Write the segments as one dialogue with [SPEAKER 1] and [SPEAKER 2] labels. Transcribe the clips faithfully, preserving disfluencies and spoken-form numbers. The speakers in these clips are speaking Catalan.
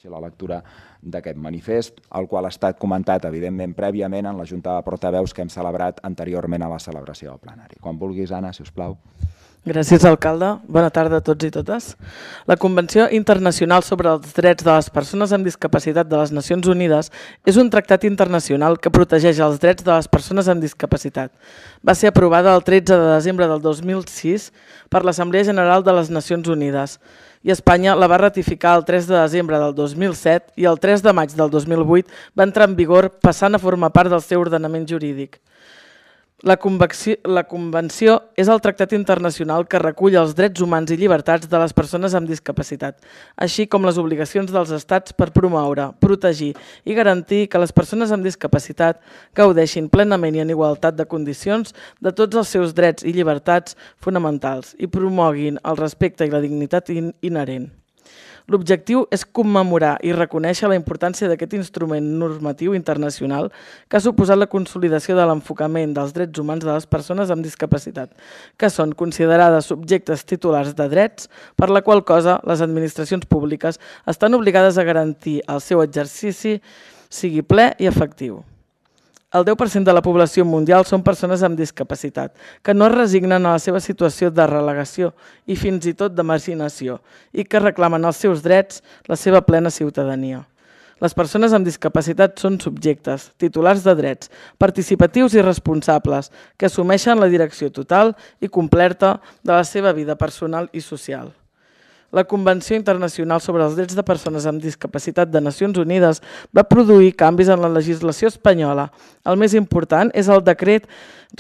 [SPEAKER 1] la lectura d'aquest manifest, el qual ha estat comentat, evidentment, prèviament en la Junta de Portaveus que hem celebrat anteriorment a la celebració del plenari. Quan vulguis, Anna, si us plau.
[SPEAKER 2] Gràcies, alcalde. Bona tarda a tots i totes. La Convenció Internacional sobre els Drets de les Persones amb Discapacitat de les Nacions Unides és un tractat internacional que protegeix els drets de les persones amb discapacitat. Va ser aprovada el tretze de desembre del dos mil sis per l'Assemblea General de les Nacions Unides i Espanya la va ratificar el tres de desembre del dos mil set i el tres de maig del dos mil vuit va entrar en vigor passant a formar part del seu ordenament jurídic. La Convenció, la Convenció és el tractat internacional que recull els drets humans i llibertats de les persones amb discapacitat, així com les obligacions dels estats per promoure, protegir i garantir que les persones amb discapacitat gaudeixin plenament i en igualtat de condicions de tots els seus drets i llibertats fonamentals i promoguin el respecte i la dignitat inherent. L'objectiu és commemorar i reconèixer la importància d'aquest instrument normatiu internacional que ha suposat la consolidació de l'enfocament dels drets humans de les persones amb discapacitat, que són considerades subjectes titulars de drets, per la qual cosa les administracions públiques estan obligades a garantir el seu exercici sigui ple i efectiu. El deu per cent de la població mundial són persones amb discapacitat, que no es resignen a la seva situació de relegació i fins i tot de marginació i que reclamen els seus drets, la seva plena ciutadania. Les persones amb discapacitat són subjectes, titulars de drets, participatius i responsables, que assumeixen la direcció total i completa de la seva vida personal i social. La Convenció Internacional sobre els Drets de Persones amb Discapacitat de Nacions Unides va produir canvis en la legislació espanyola. El més important és el decret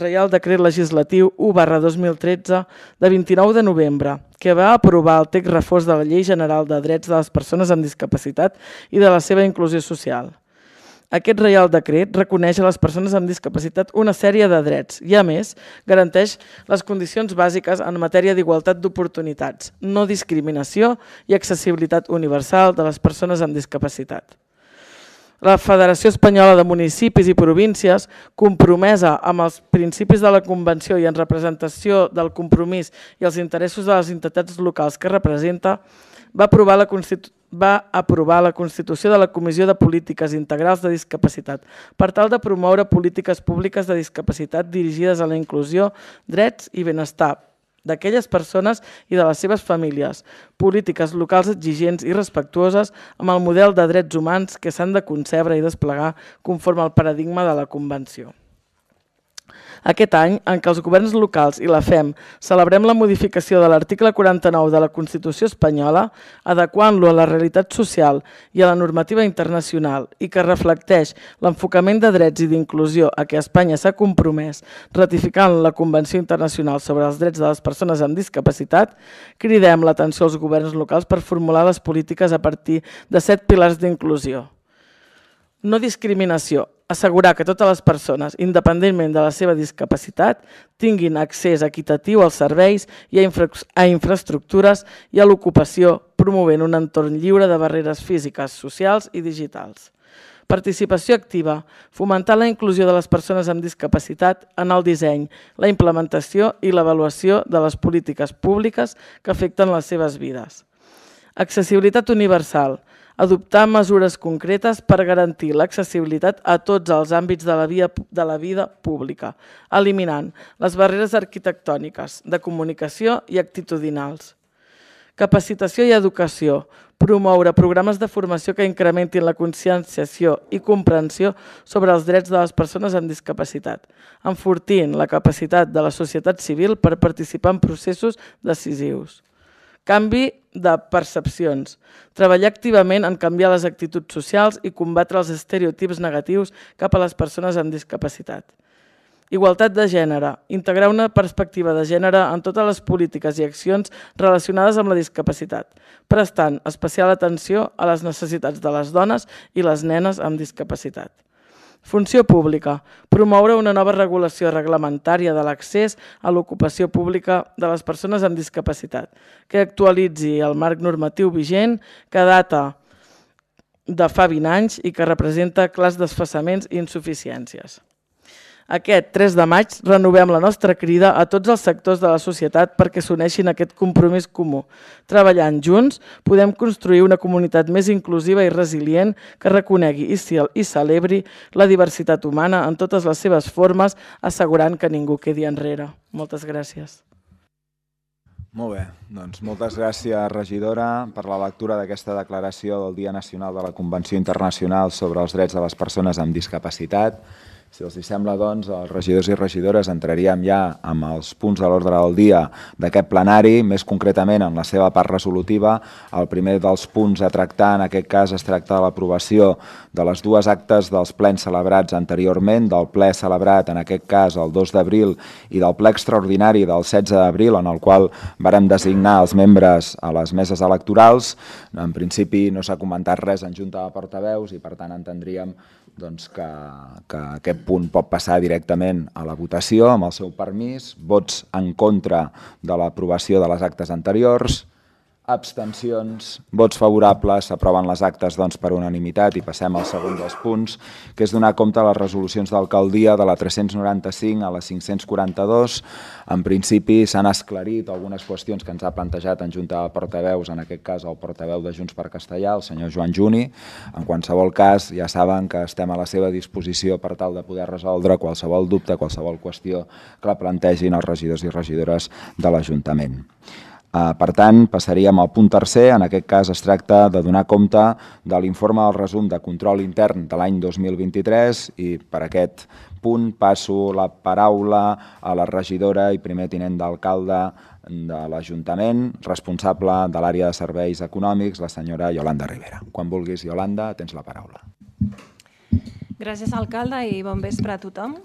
[SPEAKER 2] Reial Decret Legislatiu u barra dos mil tretze de vint-i-nou de novembre, que va aprovar el text refós de la Llei General de Drets de les Persones amb Discapacitat i de la seva inclusió social. Aquest Reial Decret reconeix a les persones amb discapacitat una sèrie de drets i, a més, garanteix les condicions bàsiques en matèria d'igualtat d'oportunitats, no discriminació i accessibilitat universal de les persones amb discapacitat. La Federació Espanyola de Municipis i Províncies, compromesa amb els principis de la Convenció i en representació del compromís i els interessos de les entitats locals que representa, va aprovar la Constitució va aprovar la constitució de la Comissió de Polítiques Integrals de Discapacitat per tal de promoure polítiques públiques de discapacitat dirigides a la inclusió, drets i benestar d'aquelles persones i de les seves famílies, polítiques locals exigents i respectuoses amb el model de drets humans que s'han de concebre i desplegar conforme al paradigma de la Convenció. Aquest any, en què els governs locals i la F E M celebrem la modificació de l'article quaranta-nou de la Constitució espanyola, adequant-lo a la realitat social i a la normativa internacional i que reflecteix l'enfocament de drets i d'inclusió a què Espanya s'ha compromès ratificant la Convenció Internacional sobre els Drets de les Persones amb Discapacitat, cridem l'atenció als governs locals per formular les polítiques a partir de set pilars d'inclusió. No discriminació. Assegurar que totes les persones, independentment de la seva discapacitat, tinguin accés equitatiu als serveis i a, infra a infraestructures i a l'ocupació, promovent un entorn lliure de barreres físiques, socials i digitals. Participació activa. Fomentar la inclusió de les persones amb discapacitat en el disseny, la implementació i l'avaluació de les polítiques públiques que afecten les seves vides. Accessibilitat universal. Adoptar mesures concretes per garantir l'accessibilitat a tots els àmbits de la, via, de la vida pública, eliminant les barreres arquitectòniques, de comunicació i actitudinals. Capacitació i educació. Promoure programes de formació que incrementin la conscienciació i comprensió sobre els drets de les persones amb discapacitat, enfortint la capacitat de la societat civil per participar en processos decisius. Canvi de percepcions. Treballar activament en canviar les actituds socials i combatre els estereotips negatius cap a les persones amb discapacitat. Igualtat de gènere. Integrar una perspectiva de gènere en totes les polítiques i accions relacionades amb la discapacitat, prestant especial atenció a les necessitats de les dones i les nenes amb discapacitat. Funció pública. Promoure una nova regulació reglamentària de l'accés a l'ocupació pública de les persones amb discapacitat, que actualitzi el marc normatiu vigent que data de fa vint anys i que representa clars desfasaments i insuficiències. Aquest tres de maig renovem la nostra crida a tots els sectors de la societat perquè s'uneixin a aquest compromís comú. Treballant junts podem construir una comunitat més inclusiva i resilient que reconegui i celebri la diversitat humana en totes les seves formes, assegurant que ningú quedi enrere. Moltes gràcies.
[SPEAKER 1] Molt bé, doncs moltes gràcies, regidora, per la lectura d'aquesta declaració del Dia Nacional de la Convenció Internacional sobre els Drets de les Persones amb Discapacitat. Si els sembla, doncs, els regidors i regidores entraríem ja amb els punts de l'ordre del dia d'aquest plenari, més concretament en la seva part resolutiva. El primer dels punts a tractar, en aquest cas, es tracta de l'aprovació de les dues actes dels plens celebrats anteriorment, del ple celebrat, en aquest cas, el dos d'abril, i del ple extraordinari del setze d'abril, en el qual vàrem designar els membres a les meses electorals. En principi no s'ha comentat res en Junta de Portaveus i, per tant, entendríem doncs, que, que aquest punt pot passar directament a la votació amb el seu permís. Vots en contra de l'aprovació de les actes anteriors. Abstencions, vots favorables, s'aproven les actes doncs, per unanimitat i passem al segon dels punts, que és donar compte a les resolucions d'alcaldia de la tres-cents noranta-cinc a la cinc-cents quaranta-dos. En principi s'han esclarit algunes qüestions que ens ha plantejat en Junta de Portaveus, en aquest cas el portaveu de Junts per Castellà, el senyor Joan Juni. En qualsevol cas, ja saben que estem a la seva disposició per tal de poder resoldre qualsevol dubte, qualsevol qüestió que la plantegin els regidors i regidores de l'Ajuntament. Per tant, passaríem al punt tercer. En aquest cas es tracta de donar compte de l'informe del resum de control intern de l'any dos mil vint-i-tres i per aquest punt passo la paraula a la regidora i primer tinent d'alcalde de l'Ajuntament, responsable de l'àrea de serveis econòmics, la senyora Iolanda Rivera. Quan vulguis, Iolanda, tens la paraula.
[SPEAKER 3] Gràcies, alcalde, i bon vespre a tothom.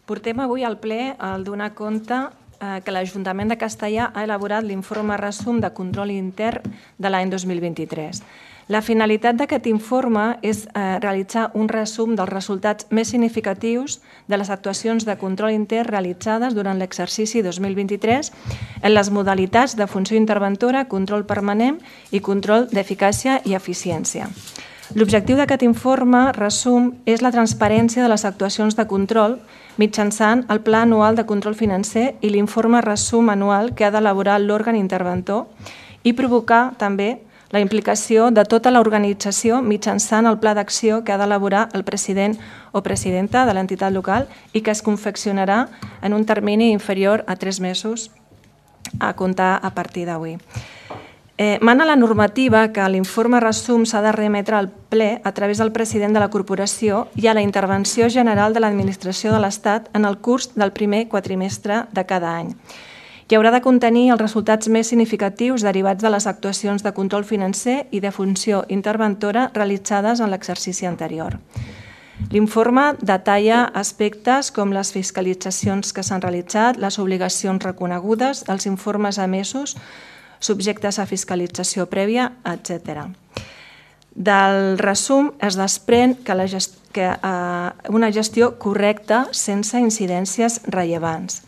[SPEAKER 3] Portem avui al ple el donar compte que l'Ajuntament de Castellà ha elaborat l'informe resum de control intern de l'any dos mil vint-i-tres. La finalitat d'aquest informe és realitzar un resum dels resultats més significatius de les actuacions de control intern realitzades durant l'exercici dos mil vint-i-tres en les modalitats de funció interventora, control permanent i control d'eficàcia i eficiència. L'objectiu d'aquest informe resum és la transparència de les actuacions de control mitjançant el Pla Anual de Control Financer i l'informe resum anual que ha d'elaborar l'òrgan interventor i provocar també la implicació de tota l'organització mitjançant el pla d'acció que ha d'elaborar el president o presidenta de l'entitat local i que es confeccionarà en un termini inferior a tres mesos a comptar a partir d'avui. Mana la normativa que l'informe resum s'ha de remetre al ple a través del president de la corporació i a la intervenció general de l'administració de l'Estat en el curs del primer quatrimestre de cada any. I haurà de contenir els resultats més significatius derivats de les actuacions de control financer i de funció interventora realitzades en l'exercici anterior. L'informe detalla aspectes com les fiscalitzacions que s'han realitzat, les obligacions reconegudes, els informes emesos, subjectes a fiscalització prèvia, etcètera. Del resum es desprèn que una gestió correcta sense incidències rellevants.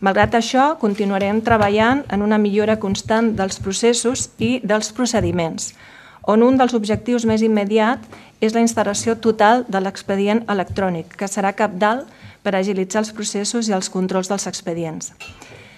[SPEAKER 3] Malgrat això, continuarem treballant en una millora constant dels processos i dels procediments, on un dels objectius més immediats és la instal·lació total de l'expedient electrònic, que serà cabdal per agilitzar els processos i els controls dels expedients.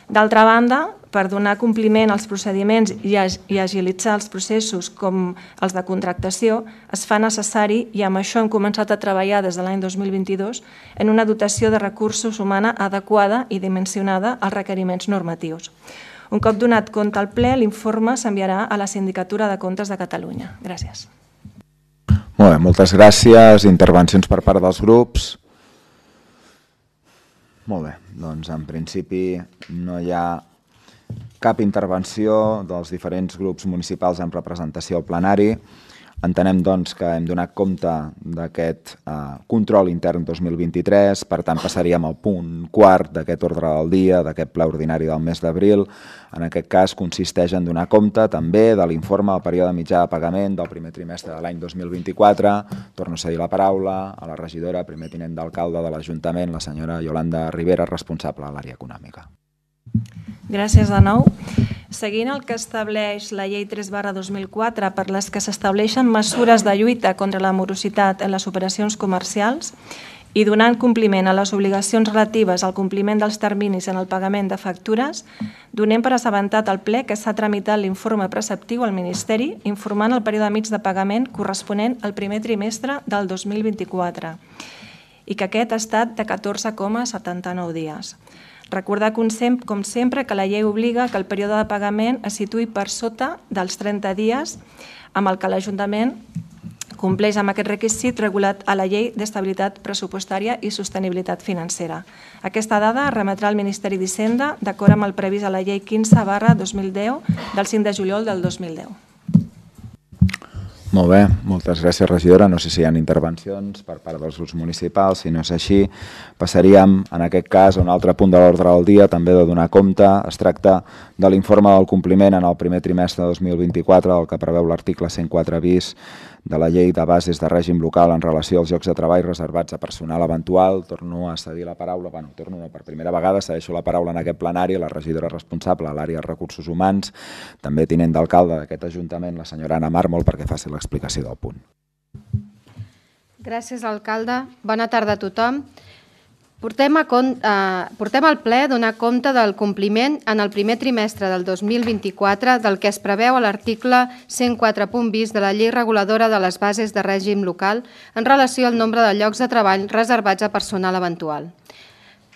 [SPEAKER 3] D'altra banda, per donar compliment als procediments i agilitzar els processos com els de contractació, es fa necessari, i amb això hem començat a treballar des de l'any dos mil vint-i-dos, en una dotació de recursos humana adequada i dimensionada als requeriments normatius. Un cop donat compte al ple, l'informe s'enviarà a la Sindicatura de Comptes de Catalunya. Gràcies.
[SPEAKER 1] Molt bé, moltes gràcies. Intervencions per part dels grups. Molt bé, doncs en principi no hi ha cap intervenció dels diferents grups municipals en representació al plenari. Entenem doncs que hem donat compte d'aquest control intern dos mil vint-i-tres, per tant passaríem al punt quart d'aquest ordre del dia, d'aquest ple ordinari del mes d'abril. En aquest cas consisteix en donar compte també de l'informe del període mitjà de pagament del primer trimestre de l'any dos mil vint-i-quatre. Torno a cedir la paraula a la regidora, primer tinent d'alcalde de l'Ajuntament, la senyora Iolanda Rivera, responsable de l'àrea econòmica.
[SPEAKER 3] Gràcies de nou. Seguint el que estableix la llei tres barra dos mil quatre per les que s'estableixen mesures de lluita contra la morositat en les operacions comercials i donant compliment a les obligacions relatives al compliment dels terminis en el pagament de factures, donem per assabentat al ple que s'ha tramitat l'informe preceptiu al Ministeri informant el període mig de pagament corresponent al primer trimestre del dos mil vint-i-quatre i que aquest ha estat de catorze coma setanta-nou dies. Recordar, com sempre, que la llei obliga que el període de pagament es situï per sota dels trenta dies, amb el que l'Ajuntament compleix amb aquest requisit regulat a la Llei d'Estabilitat Pressupostària i Sostenibilitat Financera. Aquesta dada es remetrà al Ministeri d'Hisenda d'acord amb el previst a la Llei quinze barra dos mil deu del cinc de juliol del dos mil deu.
[SPEAKER 1] Molt bé, moltes gràcies, regidora. No sé si hi ha intervencions per part dels grups municipals. Si no és així, passaríem, en aquest cas, a un altre punt de l'ordre del dia, també de donar compte. Es tracta de l'informe del compliment en el primer trimestre de dos mil vint-i-quatre, el que preveu l'article cent quatre bis de la Llei de Bases de Règim Local en relació als llocs de treball reservats a personal eventual. Torno a cedir la paraula, bueno, torno no, per primera vegada, cedeixo la paraula en aquest plenari a la regidora responsable a l'àrea de recursos humans, també tinent d'alcalde d'aquest Ajuntament, la senyora Anna Mármol, perquè faci l'explicació del punt.
[SPEAKER 4] Gràcies, alcalde. Bona tarda a tothom. Portem, a con, eh, portem al ple donar compte del compliment en el primer trimestre del dos mil vint-i-quatre del que es preveu a l'article cent quatre punt bis de la Llei Reguladora de les Bases de Règim Local en relació al nombre de llocs de treball reservats a personal eventual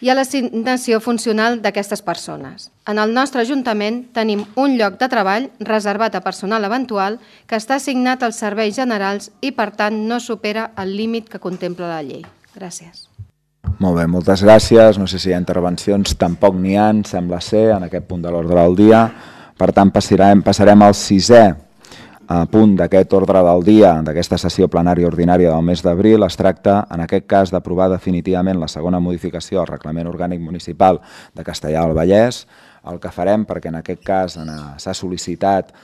[SPEAKER 4] i a l'assignació funcional d'aquestes persones. En el nostre Ajuntament tenim un lloc de treball reservat a personal eventual que està assignat als serveis generals i, per tant, no supera el límit que contempla la llei. Gràcies.
[SPEAKER 1] Molt bé, moltes gràcies. No sé si hi ha intervencions, tampoc n'hi ha, sembla ser, en aquest punt de l'ordre del dia. Per tant, passarem, passarem al sisè punt d'aquest ordre del dia, d'aquesta sessió plenària ordinària del mes d'abril. Es tracta, en aquest cas, d'aprovar definitivament la segona modificació al Reglament Orgànic Municipal de Castellar del Vallès. El que farem, perquè en aquest cas s'ha sol·licitat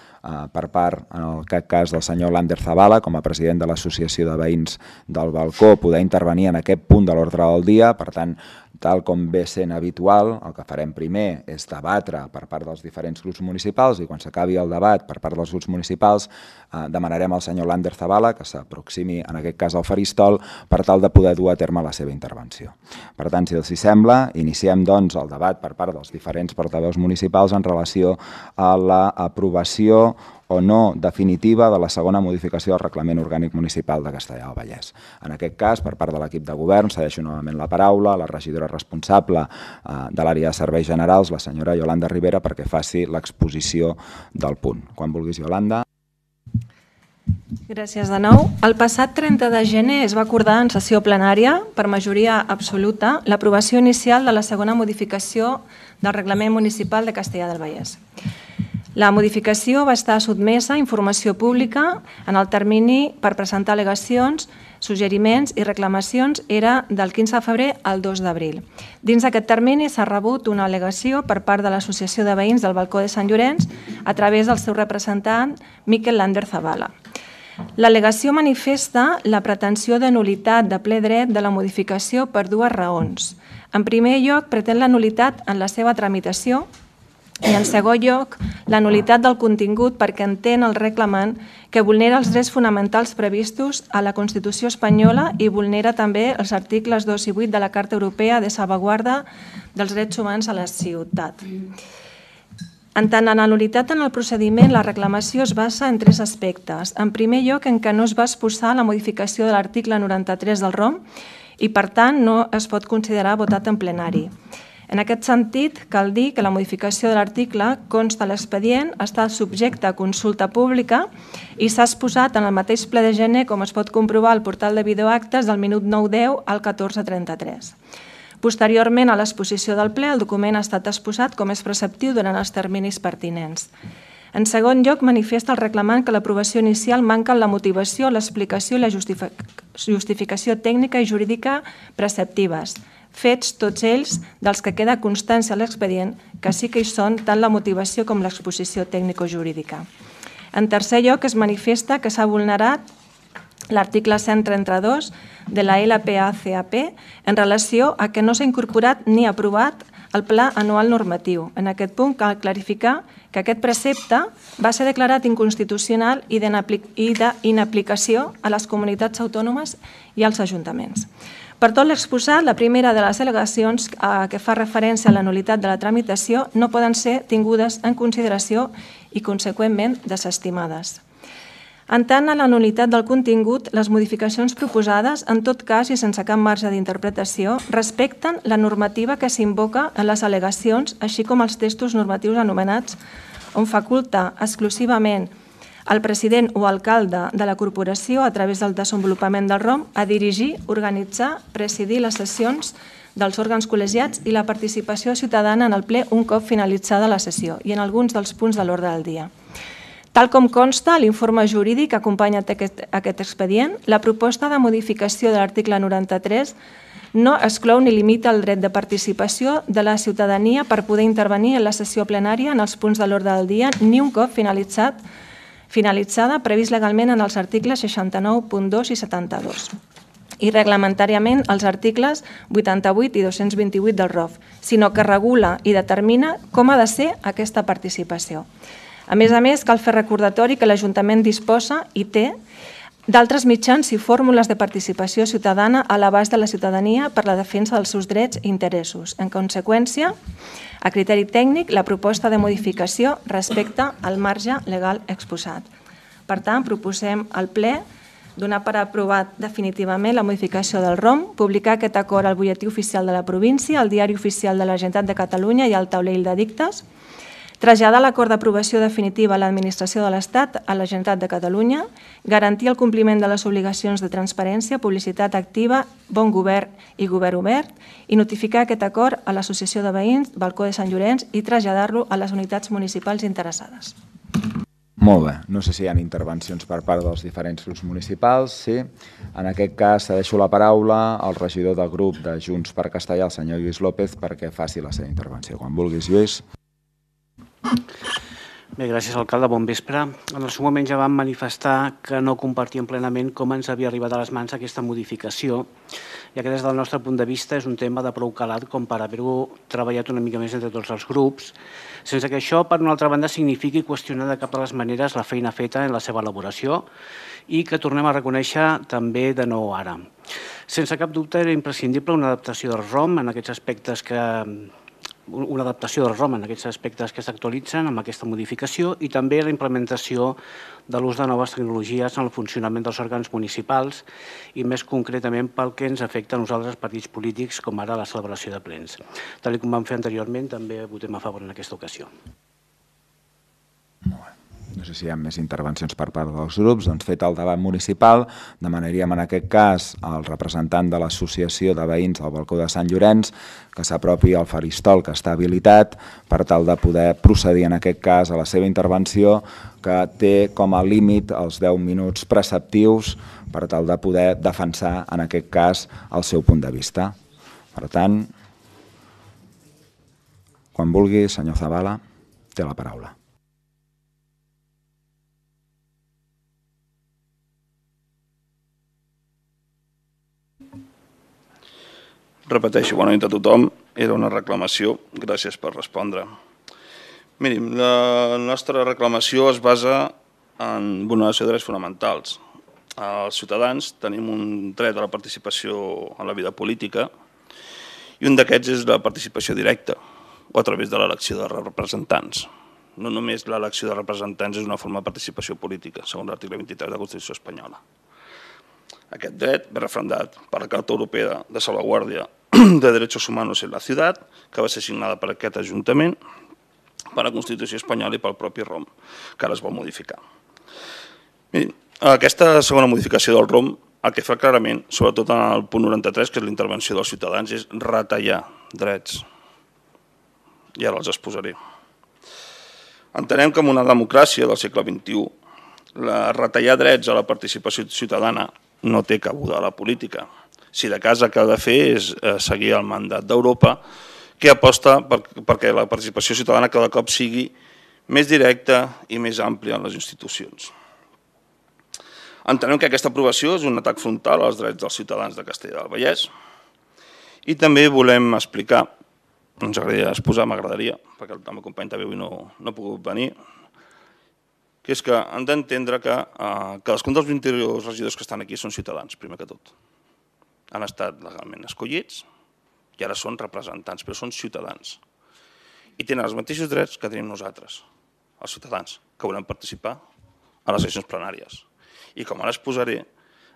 [SPEAKER 1] per part, en aquest cas, del senyor Lander Zavala, com a president de l'Associació de Veïns del Balcó, poder intervenir en aquest punt de l'ordre del dia. Per tant, tal com ve sent habitual, el que farem primer és debatre per part dels diferents grups municipals i quan s'acabi el debat per part dels grups municipals demanarem al senyor Lander Zavala que s'aproximi, en aquest cas, al faristol per tal de poder dur a terme la seva intervenció. Per tant, si els hi sembla, iniciem doncs el debat per part dels diferents portaveus municipals en relació a l'aprovació o no definitiva de la segona modificació del Reglament Orgànic Municipal de Castellar del Vallès. En aquest cas, per part de l'equip de govern, cedeixo novament la paraula a la regidora responsable de l'àrea de serveis generals, la senyora Yolanda Rivera, perquè faci l'exposició del punt. Quan vulguis, Yolanda.
[SPEAKER 3] Gràcies de nou. El passat trenta de gener es va acordar en sessió plenària, per majoria absoluta, l'aprovació inicial de la segona modificació del Reglament Municipal de Castellar del Vallès. La modificació va estar sotmesa a informació pública en el termini per presentar al·legacions, suggeriments i reclamacions era del quinze de febrer al dos d'abril. Dins d'aquest termini s'ha rebut una al·legació per part de l'Associació de Veïns del Balcó de Sant Llorenç a través del seu representant, Miquel Lander Zavala. L'al·legació manifesta la pretensió de nul·litat de ple dret de la modificació per dues raons. En primer lloc, pretén la nul·litat en la seva tramitació i, en segon lloc, la nul·litat del contingut perquè entén el reclamant que vulnera els drets fonamentals previstos a la Constitució espanyola i vulnera també els articles dos i vuit de la Carta Europea de Salvaguarda dels Drets Humans a la Ciutat. En tant, en la nul·litat en el procediment, la reclamació es basa en tres aspectes. En primer lloc, en què no es va exposar la modificació de l'article noranta-tres del R O M i, per tant, no es pot considerar votat en plenari. En aquest sentit, cal dir que la modificació de l'article consta a l'expedient, està subjecte a consulta pública i s'ha exposat en el mateix ple de gener, com es pot comprovar al portal de videoactes del minut nou deu al catorze trenta-tres. Posteriorment a l'exposició del ple, el document ha estat exposat com és preceptiu durant els terminis pertinents. En segon lloc, manifesta el reclamant que l'aprovació inicial manca en la motivació, l'explicació i la justificació tècnica i jurídica preceptives, fets tots ells dels que queda constància a l'expedient, que sí que hi són tant la motivació com l'exposició tècnico-jurídica. En tercer lloc, es manifesta que s'ha vulnerat l'article cent trenta-dos de la L P A C A P en relació a que no s'ha incorporat ni aprovat el Pla Anual Normatiu. En aquest punt cal clarificar que aquest precepte va ser declarat inconstitucional i d'inaplicació a les comunitats autònomes i als ajuntaments. Per tot l'exposat, la primera de les al·legacions que fa referència a la nul·litat de la tramitació no poden ser tingudes en consideració i, conseqüentment, desestimades. En tant a la nul·litat del contingut, les modificacions proposades, en tot cas i sense cap marge d'interpretació, respecten la normativa que s'invoca en les al·legacions, així com els textos normatius anomenats, on faculta exclusivament el president o alcalde de la corporació, a través del desenvolupament del R O M, a dirigir, organitzar, presidir les sessions dels òrgans col·legiats i la participació ciutadana en el ple un cop finalitzada la sessió i en alguns dels punts de l'ordre del dia. Tal com consta a l'informe jurídic que acompanya aquest expedient, la proposta de modificació de l'article noranta-tres no exclou ni limita el dret de participació de la ciutadania per poder intervenir en la sessió plenària en els punts de l'ordre del dia ni un cop finalitzat finalitzada previst legalment en els articles seixanta-nou punt dos i setanta-dos i reglamentàriament els articles vuitanta-vuit i dos-cents vint-i-vuit del R O F, sinó que regula i determina com ha de ser aquesta participació. A més a més, cal fer recordatori que l'Ajuntament disposa i té d'altres mitjans i fórmules de participació ciutadana a l'abast de la ciutadania per la defensa dels seus drets i interessos. En conseqüència, a criteri tècnic, la proposta de modificació respecta al marge legal exposat. Per tant, proposem al ple donar per aprovat definitivament la modificació del R O M, publicar aquest acord al butlletí oficial de la província, al diari oficial de la Generalitat de Catalunya i al taulell d'edictes, traslladar l'acord d'aprovació definitiva a l'administració de l'Estat a la Generalitat de Catalunya, garantir el compliment de les obligacions de transparència, publicitat activa, bon govern i govern obert i notificar aquest acord a l'Associació de Veïns Balcó de Sant Llorenç i traslladar-lo a les unitats municipals interessades.
[SPEAKER 1] Molt bé. No sé si hi ha intervencions per part dels diferents grups municipals. Sí. En aquest cas, cedeixo la paraula al regidor del grup de Junts per Castellar, el senyor Lluís López, perquè faci la seva intervenció. Quan vulguis, Lluís.
[SPEAKER 5] Bé, gràcies, alcalde. Bon vespre. En el seu moment ja vam manifestar que no compartíem plenament com ens havia arribat a les mans aquesta modificació, ja que des del nostre punt de vista és un tema de prou calat com per haver-ho treballat una mica més entre tots els grups, sense que això, per una altra banda, signifiqui qüestionar de cap de les maneres la feina feta en la seva elaboració i que tornem a reconèixer també de nou ara. Sense cap dubte era imprescindible una adaptació del R O M en aquests aspectes que una adaptació del R O M en aquests aspectes que s'actualitzen amb aquesta modificació i també la implementació de l'ús de noves tecnologies en el funcionament dels òrgans municipals i més concretament pel que ens afecta a nosaltres partits polítics com ara la celebració de plens. Tal com vam fer anteriorment, també votem a favor en aquesta ocasió.
[SPEAKER 1] Molt bé. No sé si hi ha més intervencions per part dels grups. Doncs fet el debat municipal, demanaríem en aquest cas al representant de l'Associació de Veïns del Balcó de Sant Llorenç que s'apropi al faristol que està habilitat per tal de poder procedir en aquest cas a la seva intervenció, que té com a límit els deu minuts preceptius per tal de poder defensar en aquest cas el seu punt de vista. Per tant, quan vulgui, senyor Zavala, té la paraula.
[SPEAKER 6] Repeteixo, bona nit a tothom. Era una reclamació. Gràcies per respondre. Mirin, la nostra reclamació es basa en vulneració de drets fonamentals. Els ciutadans tenim un dret a la participació en la vida política i un d'aquests és la participació directa o a través de l'elecció de representants. No només l'elecció de representants és una forma de participació política, segons l'article vint-i-tres de la Constitució espanyola. Aquest dret ve referendat per la Carta Europea de Salvaguardia de Derechos Humanos en la Ciutat, que va ser signada per aquest Ajuntament, per la Constitució espanyola i pel propi R O M, que ara es vol modificar. Mirin, aquesta segona modificació del R O M, el que fa clarament, sobretot en el punt noranta-tres, que és la intervenció dels ciutadans, és retallar drets. I ara els exposaré. Entenem que en una democràcia del segle vint-i-u, retallar drets a la participació ciutadana no té cabuda a la política. Si de cas el que ha de fer és seguir el mandat d'Europa, que aposta perquè la participació ciutadana cada cop sigui més directa i més àmplia en les institucions. Entenem que aquesta aprovació és un atac frontal als drets dels ciutadans de Castellar del Vallès i també volem explicar, ens agradaria exposar, m'agradaria, perquè el meu company també avui no ha pogut venir, que és que han d'entendre que cadascun dels vint-i-dos regidors que estan aquí són ciutadans, primer que tot. han estat legalment escollits i ara són representants, però són ciutadans. I tenen els mateixos drets que tenim nosaltres, els ciutadans, que volem participar a les sessions plenàries. I com ara exposaré,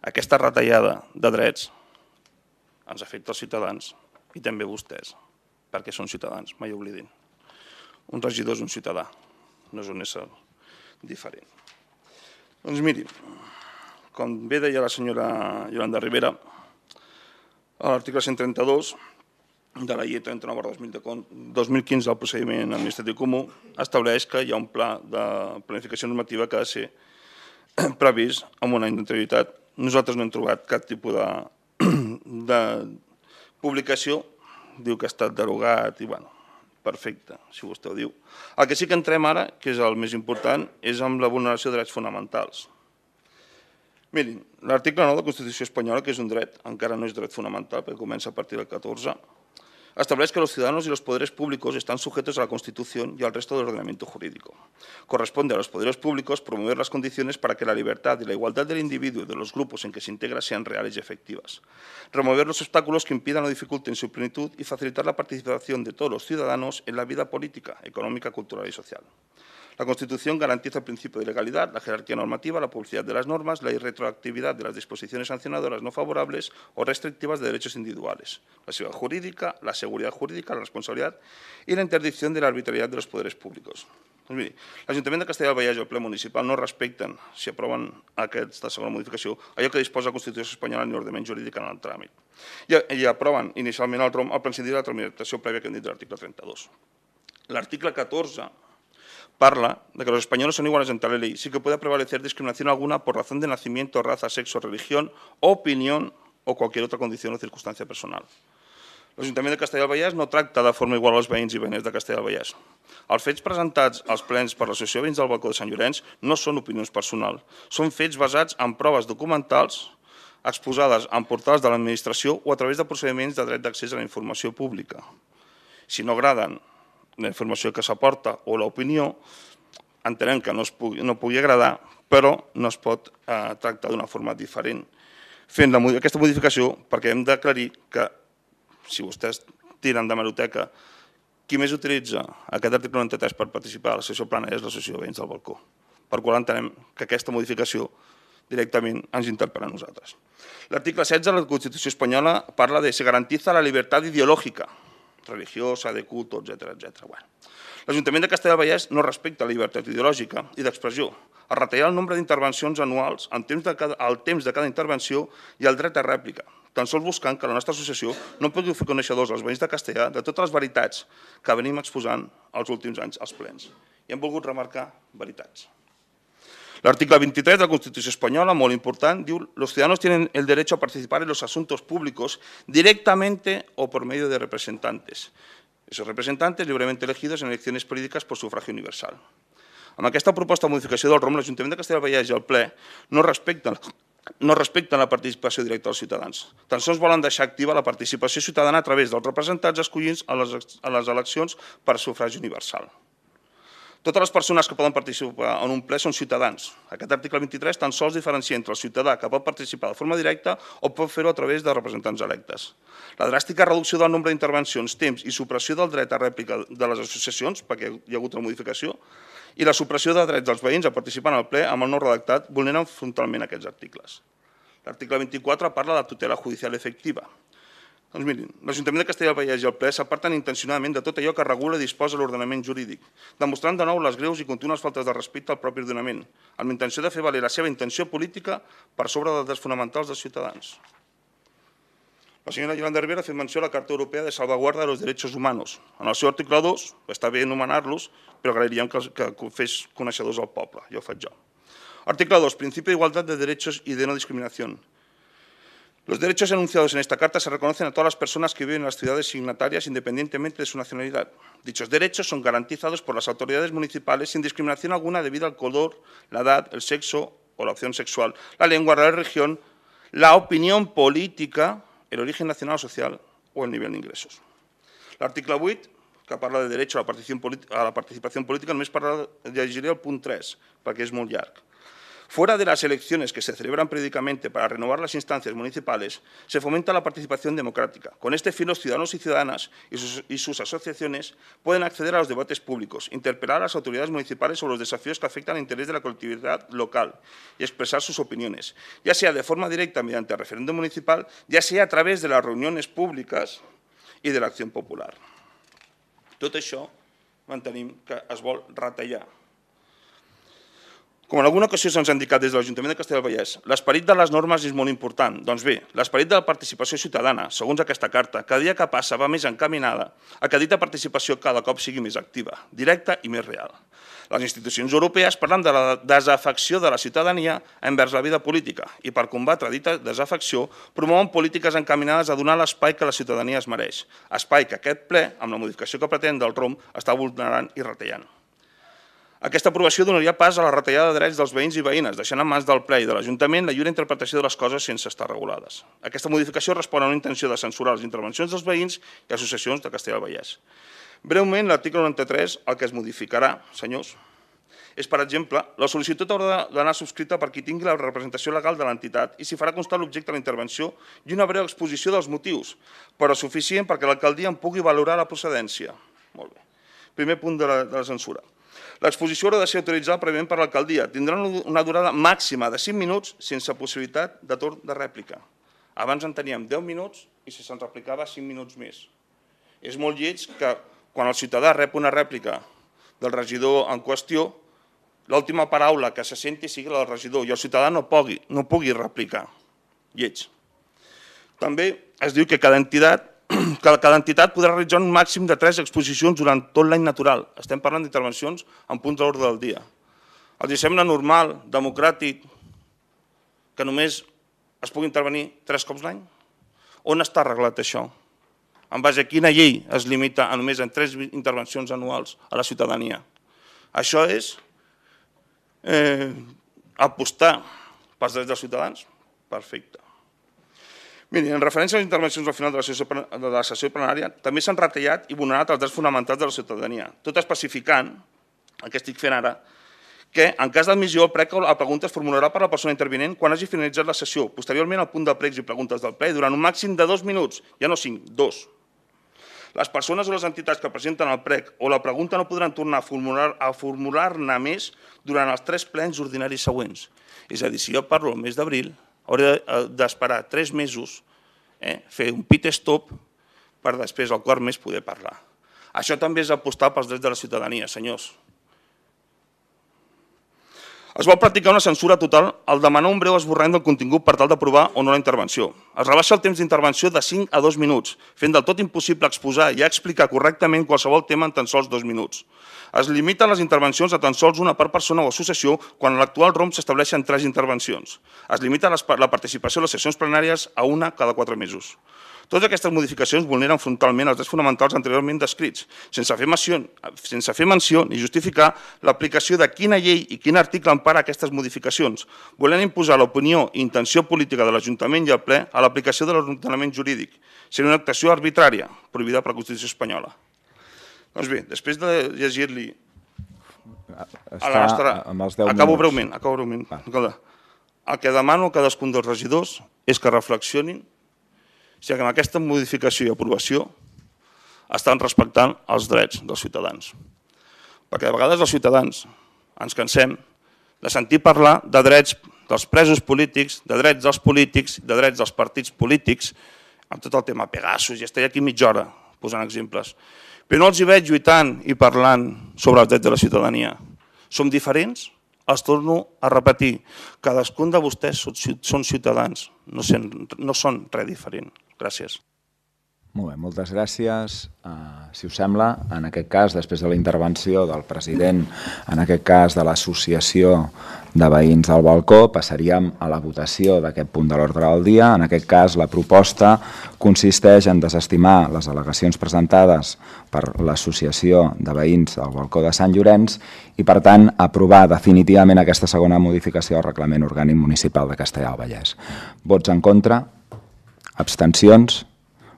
[SPEAKER 6] aquesta retallada de drets ens afecta als ciutadans i també a vostès, perquè són ciutadans, mai oblidin. Un regidor és un ciutadà, no és un ésser diferent. Doncs miri, com bé deia la senyora Yolanda Rivera, a l'article cent trenta-dos de la llei trenta-nou barra dos mil quinze del procediment administratiu comú estableix que hi ha un pla de planificació normativa que ha de ser previst amb un any d'anterioritat. Nosaltres no hem trobat cap tipus de, de publicació, diu que ha estat derogat i, bueno, perfecte, si vostè ho diu. El que sí que entrem ara, que és el més important, és amb la vulneració de drets fonamentals. Mirin, l'article nou de la Constitució espanyola, que és un dret, encara no és dret fonamental, perquè comença a partir del catorze, establece que los ciudadanos y los poderes públicos están sujetos a la Constitución y al resto del ordenamiento jurídico. Corresponde a los poderes públicos promover las condiciones para que la libertad y la igualdad del individuo y de los grupos en que se integra sean reales y efectivas. Remover los obstáculos que impidan o dificulten su plenitud y facilitar la participación de todos los ciudadanos en la vida política, económica, cultural y social. La Constitución garantiza el principio de legalidad, la jerarquía normativa, la publicidad de las normas, la irretroactividad de las disposiciones sancionadoras no favorables o restrictivas de derechos individuales, la seguridad jurídica, la seguridad jurídica, la responsabilidad y la interdicción de la arbitrariedad de los poderes públicos. Doncs miri, l'Ajuntament de Castellar del Vallès i el ple municipal no respecten, si aproven aquesta segona modificació, allò que disposa la Constitució espanyola ni l'ordenament jurídic en el tràmit. I, i aproven inicialment el ROM al prescindir de la tramitació prèvia que hem dit de l'article trenta-dos. L'article catorze parla de que los españoles son iguales ante la ley, sí que puede prevalecer discriminación alguna por razón de nacimiento, raza, sexo, religión, opinión o cualquier otra condición o circunstancia personal. L'Ajuntament de Castellar del Vallès no tracta de forma igual als veïns i veïnes de Castellar del Vallès. Els fets presentats als plens per l'Associació de Veïns del Balcó de Sant Llorenç no són opinions personals, són fets basats en proves documentals exposades en portals de l'administració o a través de procediments de dret d'accés a la informació pública. Si no agraden la informació que s'aporta o l'opinió, entenem que no, es pugui, no pugui agradar, però no es pot eh, tractar d'una forma diferent. Fent la, aquesta modificació, perquè hem d'aclarir que, si vostès tiren de meroteca, qui més utilitza aquest article noranta-tres per participar a la sessió plana és l'Associació de Veïns del Balcó, per qual entenem que aquesta modificació directament ens interpel·la a nosaltres. L'article setze de la Constitució espanyola parla de se garantiza la libertad ideológica, religiosa, de culto, etcètera, etcètera. Bueno. L'Ajuntament de Castellar del Vallès no respecta la llibertat ideològica i d'expressió. Es retallar el nombre d'intervencions anuals al temps, de cada, al temps de cada intervenció i el dret a rèplica, tan sols buscant que la nostra associació no pugui fer coneixedors als veïns de Castellar de totes les veritats que venim exposant els últims anys als plens. I hem volgut remarcar veritats. L'article vint-i-tres de la Constitució espanyola, molt important, diu los ciudadanos tienen el derecho a participar en los asuntos públicos directamente o por medio de representantes. Esos representantes libremente elegidos en elecciones políticas por sufragio universal. Amb aquesta proposta de modificació del ROM, l'Ajuntament de Castellar del Vallès i el ple no respecten, no respecten la participació directa dels ciutadans. Tan sols volen deixar activa la participació ciutadana a través dels representats escollits a les, a les eleccions per sufragi universal. Totes les persones que poden participar en un ple són ciutadans. Aquest article vint-i-tres tan sols diferencia entre el ciutadà que pot participar de forma directa o pot fer-ho a través de representants electes. La dràstica reducció del nombre d'intervencions, temps i supressió del dret a rèplica de les associacions, perquè hi ha hagut una modificació, i la supressió de drets dels veïns a participar en el ple amb el nou redactat vulneren frontalment aquests articles. L'article vint-i-quatre parla de la tutela judicial efectiva. Doncs mirin, l'Ajuntament de Castellar del Vallès i el ple s'aparten intencionadament de tot allò que regula i disposa l'ordenament jurídic, demostrant de nou les greus i contínues faltes de respecte al propi ordenament, amb l'intenció de fer valer la seva intenció política per sobre dels drets fonamentals dels ciutadans. La senyora Yolanda Rivera ha fet menció a la Carta Europea de Salvaguarda de los Derechos Humanos. En el seu article dos, està bé anomenar-los, però agrairíem que, que fes coneixedors al poble, jo ho faig jo. Article dos, principio de igualdad de derechos y de no discriminación. Los derechos enunciados en esta carta se reconocen a todas las personas que viven en las ciudades signatarias independientemente de su nacionalidad. Dichos derechos son garantizados por las autoridades municipales sin discriminación alguna debido al color, la edad, el sexo o la opción sexual, la lengua, la religión, la opinión política, el origen nacional o social o el nivel de ingressos. L'article vuit, que parla de derecho a la participació política, només parla, llegiré el punt tres, perquè és molt llarg. Fuera de las elecciones que se celebran periódicamente para renovar las instancias municipales, se fomenta la participación democrática. Con este fin, los ciudadanos y ciudadanas y sus, y sus asociaciones pueden acceder a los debates públicos, interpelar a las autoridades municipales sobre los desafíos que afectan al interés de la colectividad local y expresar sus opiniones, ya sea de forma directa mediante el referéndum municipal, ya sea a través de las reunions públiques i de l'acció popular. Tot això mantenim que es vol retallar. Com en alguna ocasió se'ns ha indicat des de l'Ajuntament de Castellar del Vallès, l'esperit de les normes és molt important. Doncs bé, l'esperit de la participació ciutadana, segons aquesta carta, cada dia que passa va més encaminada a que dita participació cada cop sigui més activa, directa i més real. Les institucions europees parlen de la desafecció de la ciutadania envers la vida política i per combatre dita desafecció promouen polítiques encaminades a donar l'espai que la ciutadania es mereix, espai que aquest ple, amb la modificació que pretén del R O M, està vulnerant i retallant. Aquesta aprovació donaria pas a la retallada de drets dels veïns i veïnes, deixant en mans del ple i de l'Ajuntament la lliure interpretació de les coses sense estar regulades. Aquesta modificació respon a una intenció de censurar les intervencions dels veïns i associacions de Castellar del Vallès. Breument, l'article noranta-tres, el que es modificarà, senyors, és, per exemple, la sol·licitud haurà d'anar subscrita per qui tingui la representació legal de l'entitat i s'hi farà constar l'objecte de la intervenció i una breu exposició dels motius, però suficient perquè l'alcaldia en pugui valorar la procedència. Molt bé. Primer punt de la, de la censura. L'exposició haurà de ser autoritzada prèviament per l'alcaldia. Tindrà una durada màxima de cinc minuts sense possibilitat de torn de rèplica. Abans en teníem deu minuts i si se'n replicava cinc minuts més. És molt lleig que quan el ciutadà rep una rèplica del regidor en qüestió, l'última paraula que se senti sigui la del regidor i el ciutadà no pugui, no pugui replicar. Lleig. També es diu que cada entitat que cada entitat podrà realitzar un màxim de tres exposicions durant tot l'any natural. Estem parlant d'intervencions en punts de l'ordre del dia. Els sembla normal, democràtic, que només es pugui intervenir tres cops l'any? On està arreglat això? En base a quina llei es limita a només en tres intervencions anuals a la ciutadania? Això és eh, apostar pels drets dels ciutadans? Perfecte. Miri, en referència a les intervencions al final de la sessió, de la sessió plenària, també s'han retallat i vulnerat els drets fonamentals de la ciutadania, tot especificant, el que estic fent ara, que en cas d'admissió el prec o la pregunta es formularà per la persona intervinent quan hagi finalitzat la sessió, posteriorment al punt de pregs i preguntes del ple, durant un màxim de dos minuts, ja no cinc, dos. Les persones o les entitats que presenten el prec o la pregunta no podran tornar a formular-ne a formular-ne més durant els tres plens ordinaris següents. És a dir, si jo parlo el mes d'abril, hauré d'esperar tres mesos, eh, fer un pit stop per després, al quart mes, poder parlar. Això també és apostar pels drets de la ciutadania, senyors. Es vol practicar una censura total al demanar un breu esborrany del contingut per tal d'aprovar o no la intervenció. Es rebaixa el temps d'intervenció de cinc a dos minuts, fent del tot impossible exposar i explicar correctament qualsevol tema en tan sols dos minuts. Es limiten les intervencions a tan sols una per persona o associació quan en l'actual R O M s'estableixen tres intervencions. Es limita la participació a les sessions plenàries a una cada quatre mesos. Totes aquestes modificacions vulneren frontalment els drets fonamentals anteriorment descrits, sense fer menció, sense fer menció ni justificar l'aplicació de quina llei i quin article empara aquestes modificacions, volent imposar l'opinió i intenció política de l'Ajuntament i el ple a l'aplicació de l'ordenament jurídic. Seria una actuació arbitrària, prohibida per la Constitució espanyola. Doncs bé, després de llegir-li a la nostra... Acabo breument, acabo breument. El que demano a cadascun dels regidors és que reflexionin si amb aquesta modificació i aprovació estan respectant els drets dels ciutadans. Perquè de vegades els ciutadans ens cansem de sentir parlar de drets dels presos polítics, de drets dels polítics, de drets dels partits polítics, amb tot el tema Pegasus, i estaré aquí mitja hora posant exemples. Però no els hi veig lluitant i parlant sobre els drets de la ciutadania. Som diferents? Els torno a repetir. Cadascun de vostès són ciutadans, no són res diferent. Gràcies.
[SPEAKER 1] Molt bé, moltes gràcies. Si us sembla, en aquest cas, després de la intervenció del president, en aquest cas de l'Associació de Veïns del Balcó, passaríem a la votació d'aquest punt de l'ordre del dia. En aquest cas, la proposta consisteix en desestimar les al·legacions presentades per l'Associació de Veïns del Balcó de Sant Llorenç i, per tant, aprovar definitivament aquesta segona modificació al Reglament Orgànic Municipal de Castellar del Vallès. Vots en contra? Abstencions?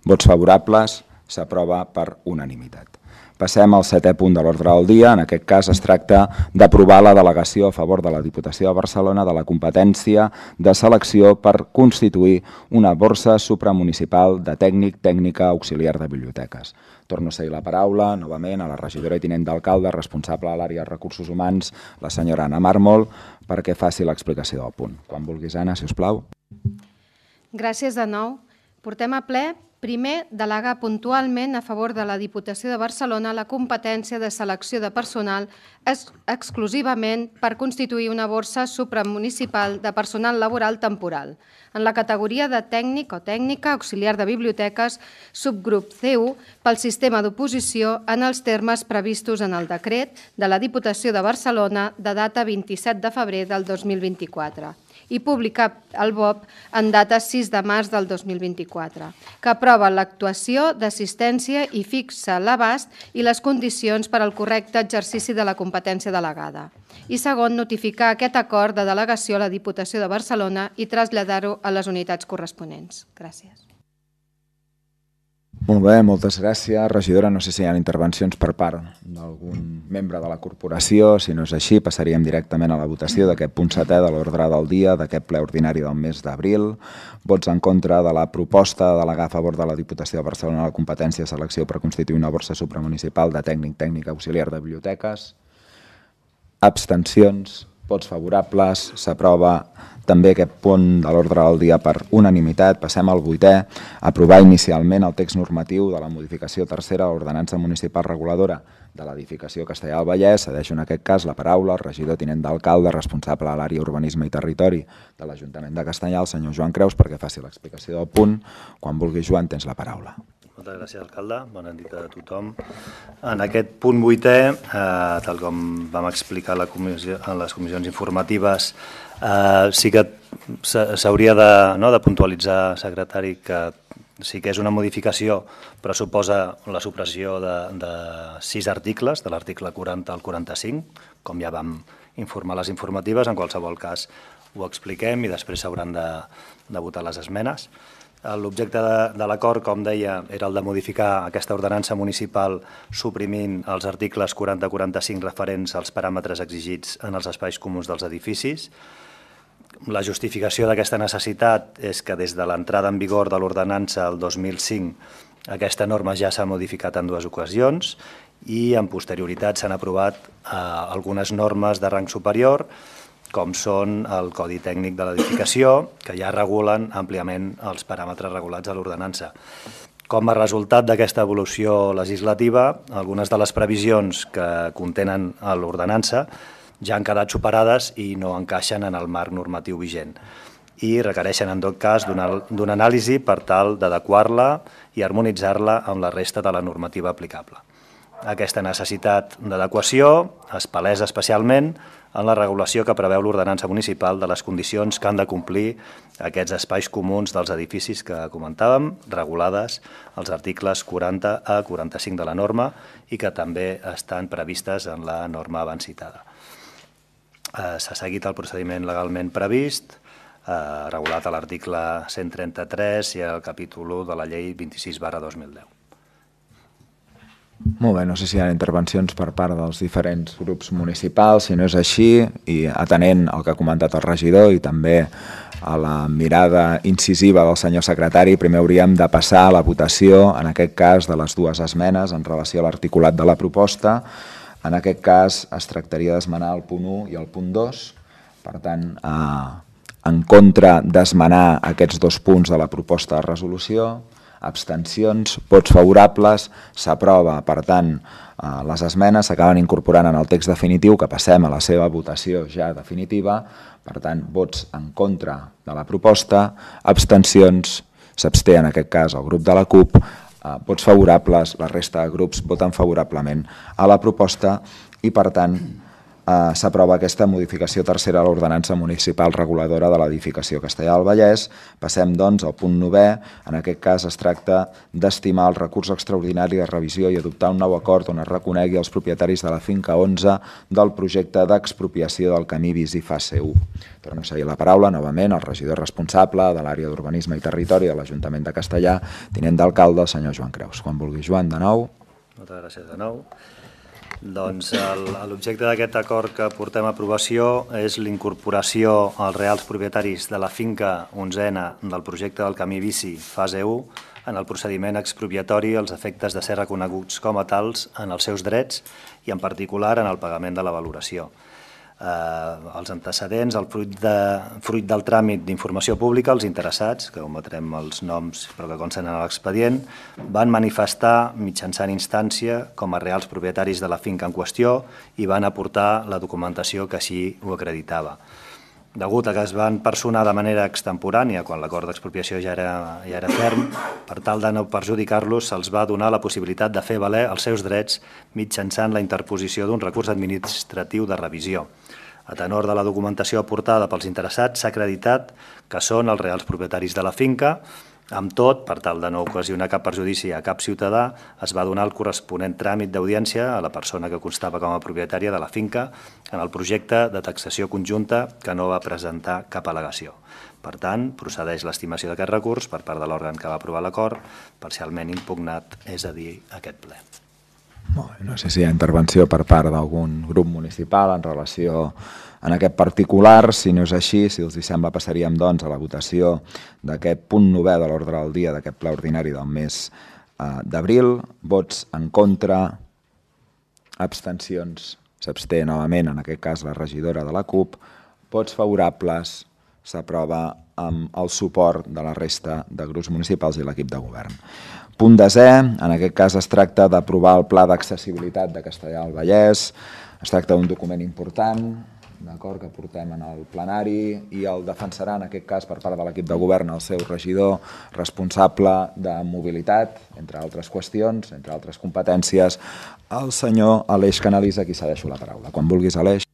[SPEAKER 1] Vots favorables? s'aprova per unanimitat. Passem al setè punt de l'ordre del dia. En aquest cas es tracta d'aprovar la delegació a favor de la Diputació de Barcelona de la competència de selecció per constituir una borsa supramunicipal de tècnic tècnica auxiliar de biblioteques. Torno a seguir la paraula novament a la regidora i tinent d'alcalde responsable de l'àrea de recursos humans, la senyora Anna Mármol, perquè faci l'explicació del punt. Quan vulguis, Anna, si us plau.
[SPEAKER 4] Gràcies de nou. Portem a ple, primer, delegar puntualment a favor de la Diputació de Barcelona la competència de selecció de personal ex exclusivament per constituir una borsa supramunicipal de personal laboral temporal, en la categoria de tècnic o tècnica auxiliar de biblioteques, subgrup C u, pel sistema d'oposició en els termes previstos en el decret de la Diputació de Barcelona de data vint-i-set de febrer del dos mil vint-i-quatre i publicat al B O P en data sis de març del dos mil vint-i-quatre, que aprova l'actuació d'assistència i fixa l'abast i les condicions per al correcte exercici de la competència delegada. I segon, notificar aquest acord de delegació a la Diputació de Barcelona i traslladar-ho a les unitats corresponents. Gràcies.
[SPEAKER 1] Molt bé, moltes gràcies. Regidora, no sé si hi ha intervencions per part d'algun membre de la corporació. Si no és així, passaríem directament a la votació d'aquest punt setè de l'ordre del dia d'aquest ple ordinari del mes d'abril. Vots en contra de la proposta de delegar a favor de la Diputació de Barcelona la competència de selecció per constituir una borsa supramunicipal de tècnic tècnic auxiliar de biblioteques. Abstencions, vots favorables, s'aprova també aquest punt de l'ordre del dia per unanimitat. Passem al vuitè, aprovar inicialment el text normatiu de la modificació tercera de l'ordenança municipal reguladora de l'edificació Castellar del Vallès. Cedeixo en aquest cas la paraula al regidor tinent d'alcalde responsable de l'àrea urbanisme i territori de l'Ajuntament de Castellar, el senyor Joan Creus, perquè faci l'explicació del punt. Quan vulgui, Joan, tens la paraula.
[SPEAKER 7] Moltes gràcies, alcalde. Bona nit a tothom. En aquest punt vuitè, eh, tal com vam explicar a la comissió, en les comissions informatives, eh, sí que s'hauria de, no, de puntualitzar, secretari, que sí que és una modificació, però suposa la supressió de, de sis articles, de l'article quaranta al quaranta-cinc, com ja vam informar les informatives. En qualsevol cas ho expliquem i després s'hauran de, de votar les esmenes. L'objecte de, de l'acord, com deia, era el de modificar aquesta ordenança municipal suprimint els articles quaranta a quaranta-cinc referents als paràmetres exigits en els espais comuns dels edificis. La justificació d'aquesta necessitat és que des de l'entrada en vigor de l'ordenança el dos mil cinc aquesta norma ja s'ha modificat en dues ocasions i en posterioritat s'han aprovat eh, algunes normes de rang superior, com són el Codi Tècnic de l'Edificació, que ja regulen àmpliament els paràmetres regulats a l'ordenança. Com a resultat d'aquesta evolució legislativa, algunes de les previsions que contenen a l'ordenança ja han quedat superades i no encaixen en el marc normatiu vigent i requereixen, en tot cas, d'una anàlisi per tal d'adequar-la i harmonitzar-la amb la resta de la normativa aplicable. Aquesta necessitat d'adequació es palesa especialment en la regulació que preveu l'ordenança municipal de les condicions que han de complir aquests espais comuns dels edificis que comentàvem, regulades als articles quaranta a quaranta-cinc de la norma i que també estan previstes en la norma abans citada. S'ha seguit el procediment legalment previst, regulat a l'article cent trenta-tres i al capítol u de la llei vint-i-sis barra dos mil deu.
[SPEAKER 1] Molt bé, no sé si hi ha intervencions per part dels diferents grups municipals. Si no és així, i atenent al que ha comentat el regidor i també a la mirada incisiva del senyor secretari, primer hauríem de passar a la votació, en aquest cas, de les dues esmenes en relació a l'articulat de la proposta. En aquest cas es tractaria d'esmenar el punt u i el punt dos. Per tant, en contra d'esmenar aquests dos punts de la proposta de resolució, abstencions, vots favorables, s'aprova. Per tant, les esmenes s'acaben incorporant en el text definitiu, que passem a la seva votació ja definitiva. Per tant, vots en contra de la proposta, abstencions, s'absté en aquest cas el grup de la CUP, vots favorables, la resta de grups voten favorablement a la proposta i, per tant, eh, s'aprova aquesta modificació tercera a l'ordenança municipal reguladora de l'edificació Castellar del Vallès. Passem, doncs, al punt novè. En aquest cas es tracta d'estimar el recurs extraordinari de revisió i adoptar un nou acord on es reconegui als propietaris de la finca onze del projecte d'expropiació del camí bici fase u. Torno a seguir la paraula, novament, el regidor responsable de l'àrea d'Urbanisme i Territori de l'Ajuntament de Castellar, tinent d'alcalde, el senyor Joan Creus. Quan vulgui, Joan, de nou.
[SPEAKER 7] Moltes gràcies de nou. Doncs l'objecte d'aquest acord que portem a aprovació és l'incorporació als reals propietaris de la finca onzena del projecte del camí bici fase u en el procediment expropiatori als efectes de ser reconeguts com a tals en els seus drets i en particular en el pagament de la valoració. Eh, els antecedents, el fruit, de, fruit del tràmit d'informació pública, els interessats, que ometrem els noms però que consten en l'expedient, van manifestar mitjançant instància com a reals propietaris de la finca en qüestió i van aportar la documentació que així ho acreditava. Degut a que es van personar de manera extemporània quan l'acord d'expropiació ja era, ja era ferm, per tal de no perjudicar-los, se'ls va donar la possibilitat de fer valer els seus drets mitjançant la interposició d'un recurs administratiu de revisió. A tenor de la documentació aportada pels interessats, s'ha acreditat que són els reals propietaris de la finca. Amb tot, per tal de no ocasionar cap perjudici a cap ciutadà, es va donar el corresponent tràmit d'audiència a la persona que constava com a propietària de la finca en el projecte de taxació conjunta que no va presentar cap al·legació. Per tant, procedeix l'estimació d'aquest recurs per part de l'òrgan que va aprovar l'acord, parcialment impugnat, és a dir, aquest ple.
[SPEAKER 1] No sé si hi ha intervenció per part d'algun grup municipal en relació en aquest particular. Si no és així, si els sembla, passaríem doncs a la votació d'aquest punt novè de l'ordre del dia d'aquest ple ordinari del mes d'abril. Vots en contra, abstencions, s'absté novament, en aquest cas la regidora de la CUP. Vots favorables, s'aprova amb el suport de la resta de grups municipals i l'equip de govern. Punt desè, en aquest cas es tracta d'aprovar el Pla d'Accessibilitat de Castellar del Vallès. Es tracta d'un document important, d'acord, que portem en el plenari i el defensarà en aquest cas per part de l'equip de govern el seu regidor responsable de mobilitat, entre altres qüestions, entre altres competències, el senyor Aleix Canalisa, a qui cedeixo la paraula. Quan vulguis, Aleix.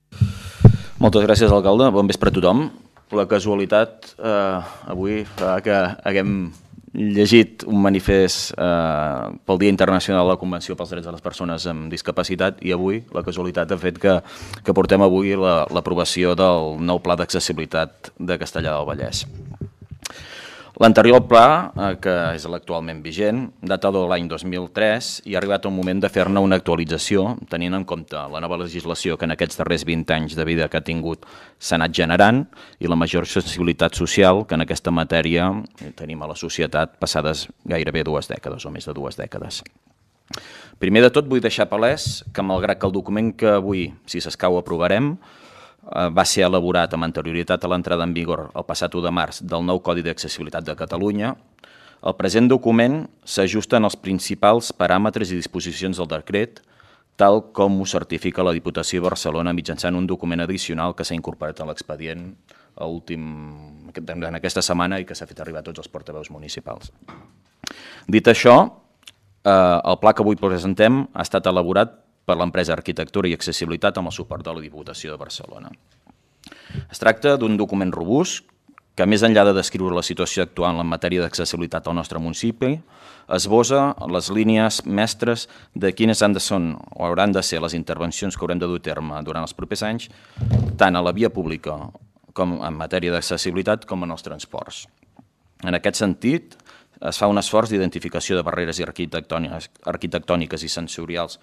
[SPEAKER 8] Moltes gràcies, alcalde. Bon vespre a tothom. La casualitat eh, avui fa que haguem llegit un manifest eh, pel Dia Internacional de la Convenció pels Drets de les Persones amb Discapacitat i avui la casualitat ha fet que, que portem avui l'aprovació la, del nou Pla d'Accessibilitat de Castellar del Vallès. L'anterior pla, eh, que és l'actualment vigent, data de l'any dos mil tres i ha arribat un moment de fer-ne una actualització tenint en compte la nova legislació que en aquests darrers vint anys de vida que ha tingut s'ha anat generant i la major sensibilitat social que en aquesta matèria tenim a la societat passades gairebé dues dècades o més de dues dècades. Primer de tot vull deixar palès que malgrat que el document que avui, si s'escau, aprovarem, va ser elaborat amb anterioritat a l'entrada en vigor el passat u de març del nou Codi d'Accessibilitat de Catalunya, el present document s'ajusta als principals paràmetres i disposicions del decret, tal com ho certifica la Diputació de Barcelona mitjançant un document addicional que s'ha incorporat a l'expedient en aquesta setmana i que s'ha fet arribar a tots els portaveus municipals. Dit això, el pla que avui presentem ha estat elaborat per l'empresa Arquitectura i Accessibilitat amb el suport de la Diputació de Barcelona. Es tracta d'un document robust que, més enllà de descriure la situació actual en matèria d'accessibilitat al nostre municipi, esbossa les línies mestres de quines han de ser o hauran de ser les intervencions que haurem de dur a terme durant els propers anys, tant a la via pública com en matèria d'accessibilitat com en els transports. En aquest sentit, es fa un esforç d'identificació de barreres arquitectòniques i sensorials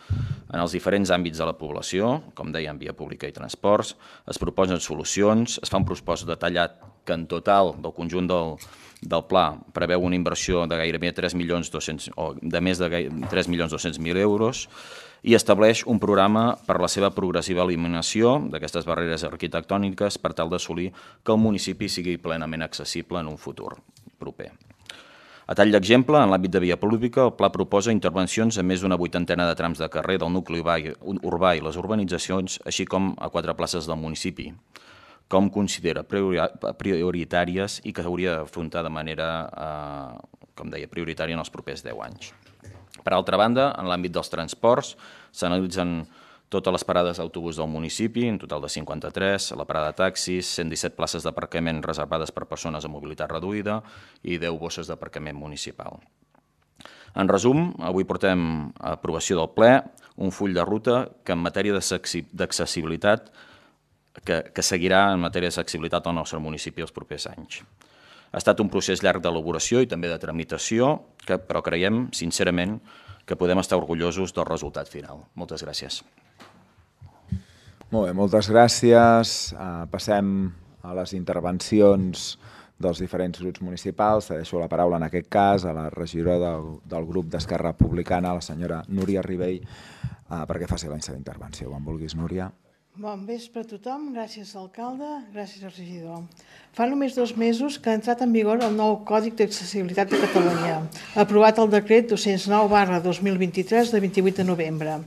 [SPEAKER 8] en els diferents àmbits de la població, com dèiem, via pública i transports, es proposen solucions, es fa un propòsit detallat que en total del conjunt del, del pla preveu una inversió de gairebé tres milions dos-cents o de més de tres milions dos-cents mil euros i estableix un programa per la seva progressiva eliminació d'aquestes barreres arquitectòniques per tal d'assolir que el municipi sigui plenament accessible en un futur proper. A tall d'exemple, en l'àmbit de via pública, el pla proposa intervencions a més d'una vuitantena de trams de carrer del nucli urbà i les urbanitzacions, així com a quatre places del municipi, com considera prioritàries i que hauria d'afrontar de manera, eh, com deia, prioritària en els propers deu anys. Per altra banda, en l'àmbit dels transports, s'analitzen totes les parades d'autobús del municipi, en total de cinquanta-tres, la parada de taxis, cent disset places d'aparcament reservades per persones amb mobilitat reduïda i deu bosses d'aparcament municipal. En resum, avui portem a aprovació del ple un full de ruta que en matèria d'accessibilitat que, que seguirà en matèria d'accessibilitat al nostre municipi els propers anys. Ha estat un procés llarg d'elaboració i també de tramitació, que, però creiem, sincerament, que podem estar orgullosos del resultat final. Moltes gràcies.
[SPEAKER 1] Molt bé, moltes gràcies. Uh, passem a les intervencions dels diferents grups municipals. Deixo la paraula en aquest cas a la regidora del, del grup d'Esquerra Republicana, la senyora Núria Ribell, uh, perquè faci la seva intervenció. Quan vulguis, Núria.
[SPEAKER 9] Bon vespre a tothom, gràcies alcalde, gràcies al regidor. Fa només dos mesos que ha entrat en vigor el nou Còdic d'Accessibilitat de Catalunya, aprovat el decret dos-cents nou barra dos mil vint-i-tres de vint-i-vuit de novembre.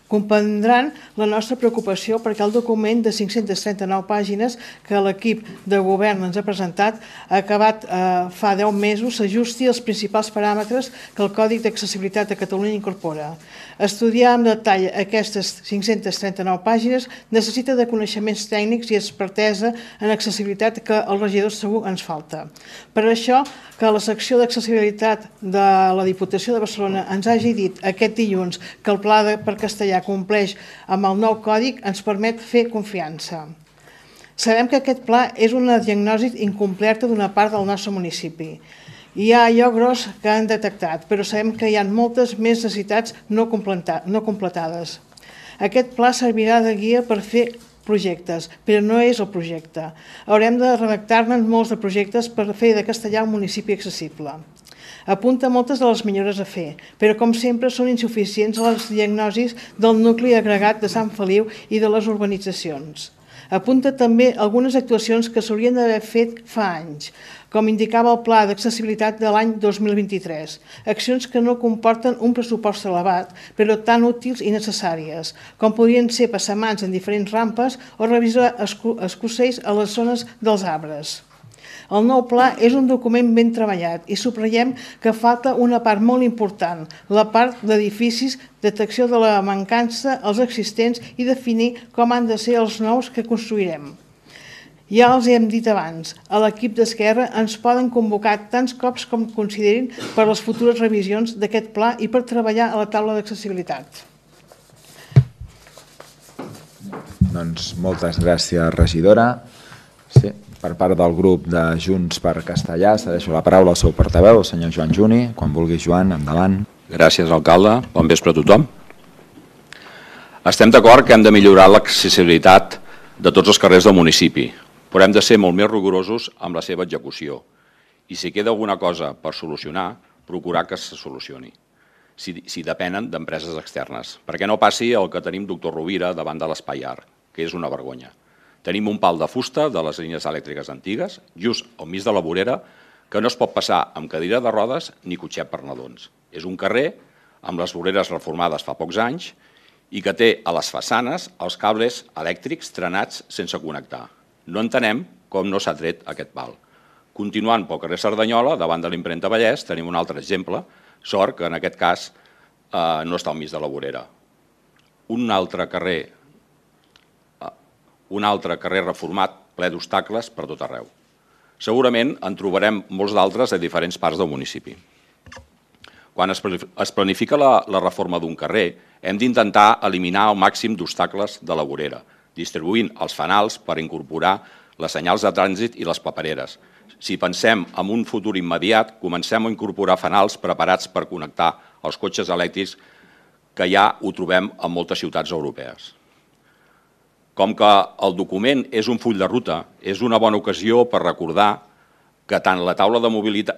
[SPEAKER 9] Comprendran la nostra preocupació perquè el document de cinc-centes trenta-nou pàgines que l'equip de govern ens ha presentat ha acabat eh, fa deu mesos s'ajusti als principals paràmetres que el Còdic d'Accessibilitat de Catalunya incorpora. Estudiar amb detall aquestes cinc-centes trenta-nou pàgines necessita de coneixements tècnics i expertesa en accessibilitat que als regidors segur ens falta. Per això, que la secció d'accessibilitat de la Diputació de Barcelona ens hagi dit aquest dilluns que el pla per castellà compleix amb el nou còdic ens permet fer confiança. Sabem que aquest pla és una diagnosi incompleta d'una part del nostre municipi. Hi ha allò gros que han detectat, però sabem que hi ha moltes més necessitats no completades. Aquest pla servirà de guia per fer projectes, però no és el projecte. Haurem de redactar-ne molts de projectes per fer de Castellà un municipi accessible. Apunta moltes de les millores a fer, però com sempre són insuficients les diagnosis del nucli agregat de Sant Feliu i de les urbanitzacions. Apunta també algunes actuacions que s'haurien d'haver fet fa anys, com indicava el Pla d'Accessibilitat de l'any dos mil vint-i-tres, accions que no comporten un pressupost elevat, però tan útils i necessàries, com podrien ser passamans en diferents rampes o revisar escossells a les zones dels arbres. El nou pla és un document ben treballat i subratllem que falta una part molt important, la part d'edificis, detecció de la mancança, els existents i definir com han de ser els nous que construirem. Ja els hem dit abans, a l'equip d'Esquerra ens poden convocar tants cops com considerin per les futures revisions d'aquest pla i per treballar a la taula d'accessibilitat.
[SPEAKER 1] Doncs moltes gràcies, regidora. Sí, per part del grup de Junts per Castellà, cedeixo la paraula al seu portaveu, el senyor Joan Juni. Quan vulgui, Joan, endavant.
[SPEAKER 10] Gràcies, alcalde. Bon vespre a tothom. Estem d'acord que hem de millorar l'accessibilitat de tots els carrers del municipi, però hem de ser molt més rigorosos amb la seva execució. I si queda alguna cosa per solucionar, procurar que se solucioni, si, si depenen d'empreses externes. Perquè no passi el que tenim doctor Rovira davant de l'Espai Art, que és una vergonya. Tenim un pal de fusta de les línies elèctriques antigues, just al mig de la vorera, que no es pot passar amb cadira de rodes ni cotxet per nadons. És un carrer amb les voreres reformades fa pocs anys i que té a les façanes els cables elèctrics trenats sense connectar. No entenem com no s'ha tret aquest pal. Continuant pel carrer Cerdanyola, davant de l'impremta Vallès, tenim un altre exemple, sort que en aquest cas eh, no està al mig de la vorera. Un altre carrer un altre carrer reformat ple d'obstacles per tot arreu. Segurament en trobarem molts d'altres a diferents parts del municipi. Quan es planifica la, la reforma d'un carrer, hem d'intentar eliminar el màxim d'obstacles de la vorera, distribuint els fanals per incorporar les senyals de trànsit i les papereres. Si pensem en un futur immediat, comencem a incorporar fanals preparats per connectar els cotxes elèctrics que ja ho trobem en moltes ciutats europees. Com que el document és un full de ruta, és una bona ocasió per recordar que tant la taula de mobilitat,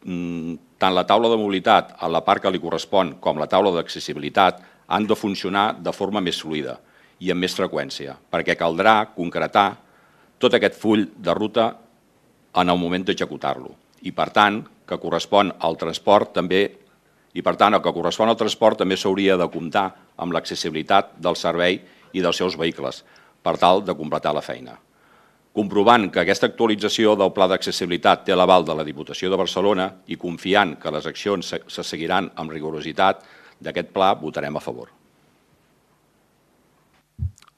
[SPEAKER 10] tant la taula de mobilitat a la part que li correspon com la taula d'accessibilitat han de funcionar de forma més fluida i amb més freqüència, perquè caldrà concretar tot aquest full de ruta en el moment d'executar-lo. I per tant, que correspon al transport també i per tant, el que correspon al transport també s'hauria de comptar amb l'accessibilitat del servei i dels seus vehicles, per tal de completar la feina. Comprovant que aquesta actualització del Pla d'Accessibilitat té l'aval de la Diputació de Barcelona i confiant que les accions se seguiran amb rigorositat d'aquest pla, votarem a favor.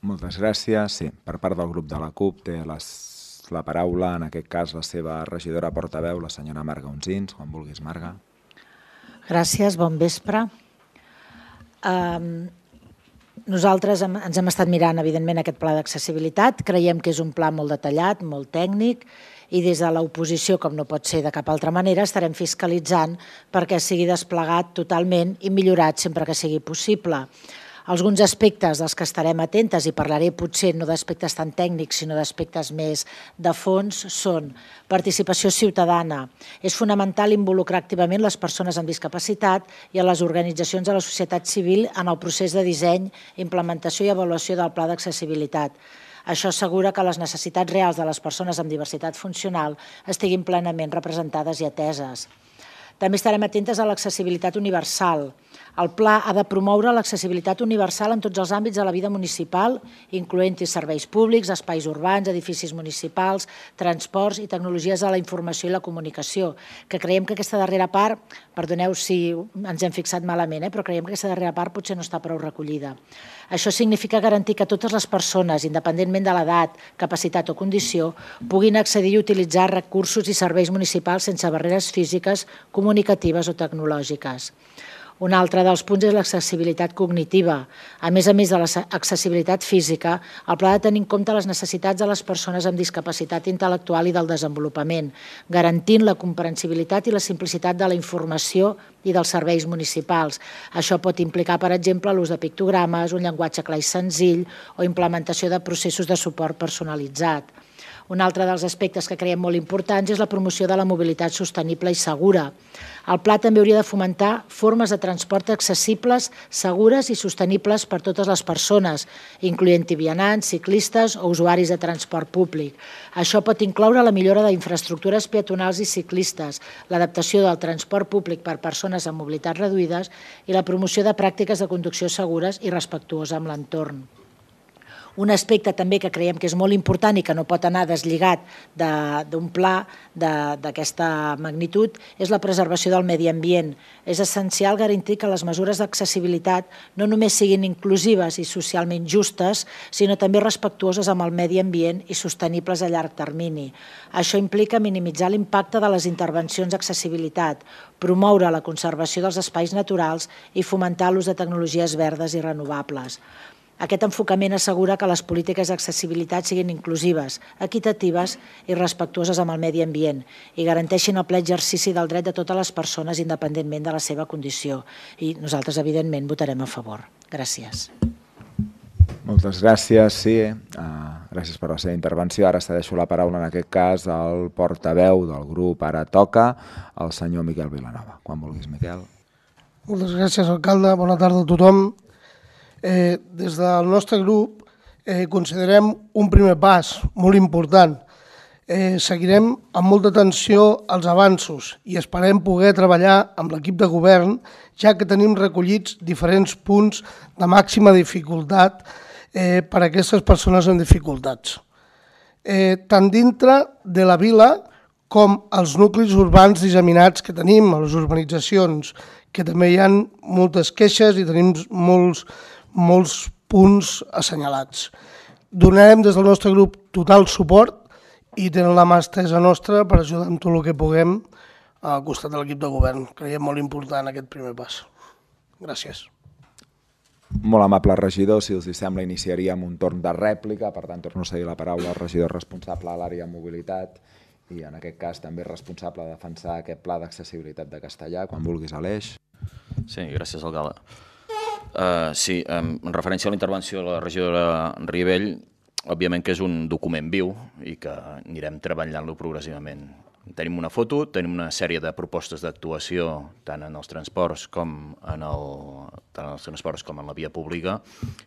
[SPEAKER 1] Moltes gràcies. Sí, per part del grup de la CUP té les, la paraula, en aquest cas la seva regidora portaveu, la senyora Marga Unsins. Quan vulguis, Marga.
[SPEAKER 11] Gràcies, bon vespre. Um, nosaltres hem, ens hem estat mirant, evidentment, aquest pla d'accessibilitat. Creiem que és un pla molt detallat, molt tècnic, i des de l'oposició, com no pot ser de cap altra manera, estarem fiscalitzant perquè sigui desplegat totalment i millorat sempre que sigui possible. Alguns aspectes dels que estarem atentes, i parlaré potser no d'aspectes tan tècnics, sinó d'aspectes més de fons, són participació ciutadana. És fonamental involucrar activament les persones amb discapacitat i a les organitzacions de la societat civil en el procés de disseny, implementació i avaluació del pla d'accessibilitat. Això assegura que les necessitats reals de les persones amb diversitat funcional estiguin plenament representades i ateses. També estarem atentes a l'accessibilitat universal. El pla ha de promoure l'accessibilitat universal en tots els àmbits de la vida municipal, incloent-hi serveis públics, espais urbans, edificis municipals, transports i tecnologies de la informació i la comunicació, que creiem que aquesta darrera part, perdoneu si ens hem fixat malament, eh, però creiem que aquesta darrera part potser no està prou recollida. Això significa garantir que totes les persones, independentment de l'edat, capacitat o condició, puguin accedir i utilitzar recursos i serveis municipals sense barreres físiques, comunicatives o tecnològiques. Un altre dels punts és l'accessibilitat cognitiva. A més a més de l'accessibilitat física, el pla ha de tenir en compte les necessitats de les persones amb discapacitat intel·lectual i del desenvolupament, garantint la comprensibilitat i la simplicitat de la informació i dels serveis municipals. Això pot implicar, per exemple, l'ús de pictogrames, un llenguatge clar i senzill o implementació de processos de suport personalitzat. Un altre dels aspectes que creiem molt importants és la promoció de la mobilitat sostenible i segura. El pla també hauria de fomentar formes de transport accessibles, segures i sostenibles per totes les persones, incloent-hi vianants, ciclistes o usuaris de transport públic. Això pot incloure la millora d'infraestructures peatonals i ciclistes, l'adaptació del transport públic per persones amb mobilitat reduïdes i la promoció de pràctiques de conducció segures i respectuoses amb l'entorn. Un aspecte també que creiem que és molt important i que no pot anar deslligat d'un pla d'aquesta magnitud és la preservació del medi ambient. És essencial garantir que les mesures d'accessibilitat no només siguin inclusives i socialment justes, sinó també respectuoses amb el medi ambient i sostenibles a llarg termini. Això implica minimitzar l'impacte de les intervencions d'accessibilitat, promoure la conservació dels espais naturals i fomentar l'ús de tecnologies verdes i renovables. Aquest enfocament assegura que les polítiques d'accessibilitat siguin inclusives, equitatives i respectuoses amb el medi ambient i garanteixin el ple exercici del dret de totes les persones independentment de la seva condició. I nosaltres, evidentment, votarem a favor. Gràcies.
[SPEAKER 1] Moltes gràcies, sí. Gràcies per la seva intervenció. Ara cedeixo la paraula, en aquest cas, al portaveu del grup Ara Toca, el senyor Miquel Vilanova. Quan vulguis, Miquel.
[SPEAKER 12] Moltes gràcies, alcalde. Bona tarda a tothom. Eh, des del nostre grup eh, considerem un primer pas molt important. Eh, seguirem amb molta atenció els avanços i esperem poder treballar amb l'equip de govern, ja que tenim recollits diferents punts de màxima dificultat eh, per a aquestes persones amb dificultats. Eh, tant dintre de la vila com els nuclis urbans disseminats que tenim, a les urbanitzacions, que també hi ha moltes queixes i tenim molts molts punts assenyalats. Donarem des del nostre grup total suport i tenen la mà estesa nostra per ajudar amb tot el que puguem al costat de l'equip de govern. Creiem molt important aquest primer pas. Gràcies.
[SPEAKER 1] Molt amable regidor, si us sembla iniciaríem un torn de rèplica, per tant torno a cedir la paraula al regidor responsable de l'àrea de mobilitat i en aquest cas també responsable de defensar aquest pla d'accessibilitat de Castellà. Quan vulguis, Aleix.
[SPEAKER 8] Sí, gràcies, alcalde. Uh, sí, um, en referència a la intervenció de la regidora Ribell, òbviament que és un document viu i que anirem treballant-lo progressivament. Tenim una foto, tenim una sèrie de propostes d'actuació tant en els transports com en, el, tant en els transports com en la via pública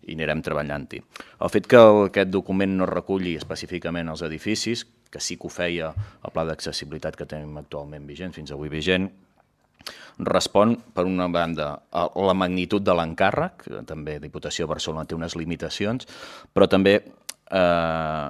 [SPEAKER 8] i anirem treballant-hi. El fet que aquest document no reculli específicament els edificis, que sí que ho feia el pla d'accessibilitat que tenim actualment vigent, fins avui vigent, respon, per una banda, a la magnitud de l'encàrrec, que també Diputació de Barcelona té unes limitacions, però també, eh,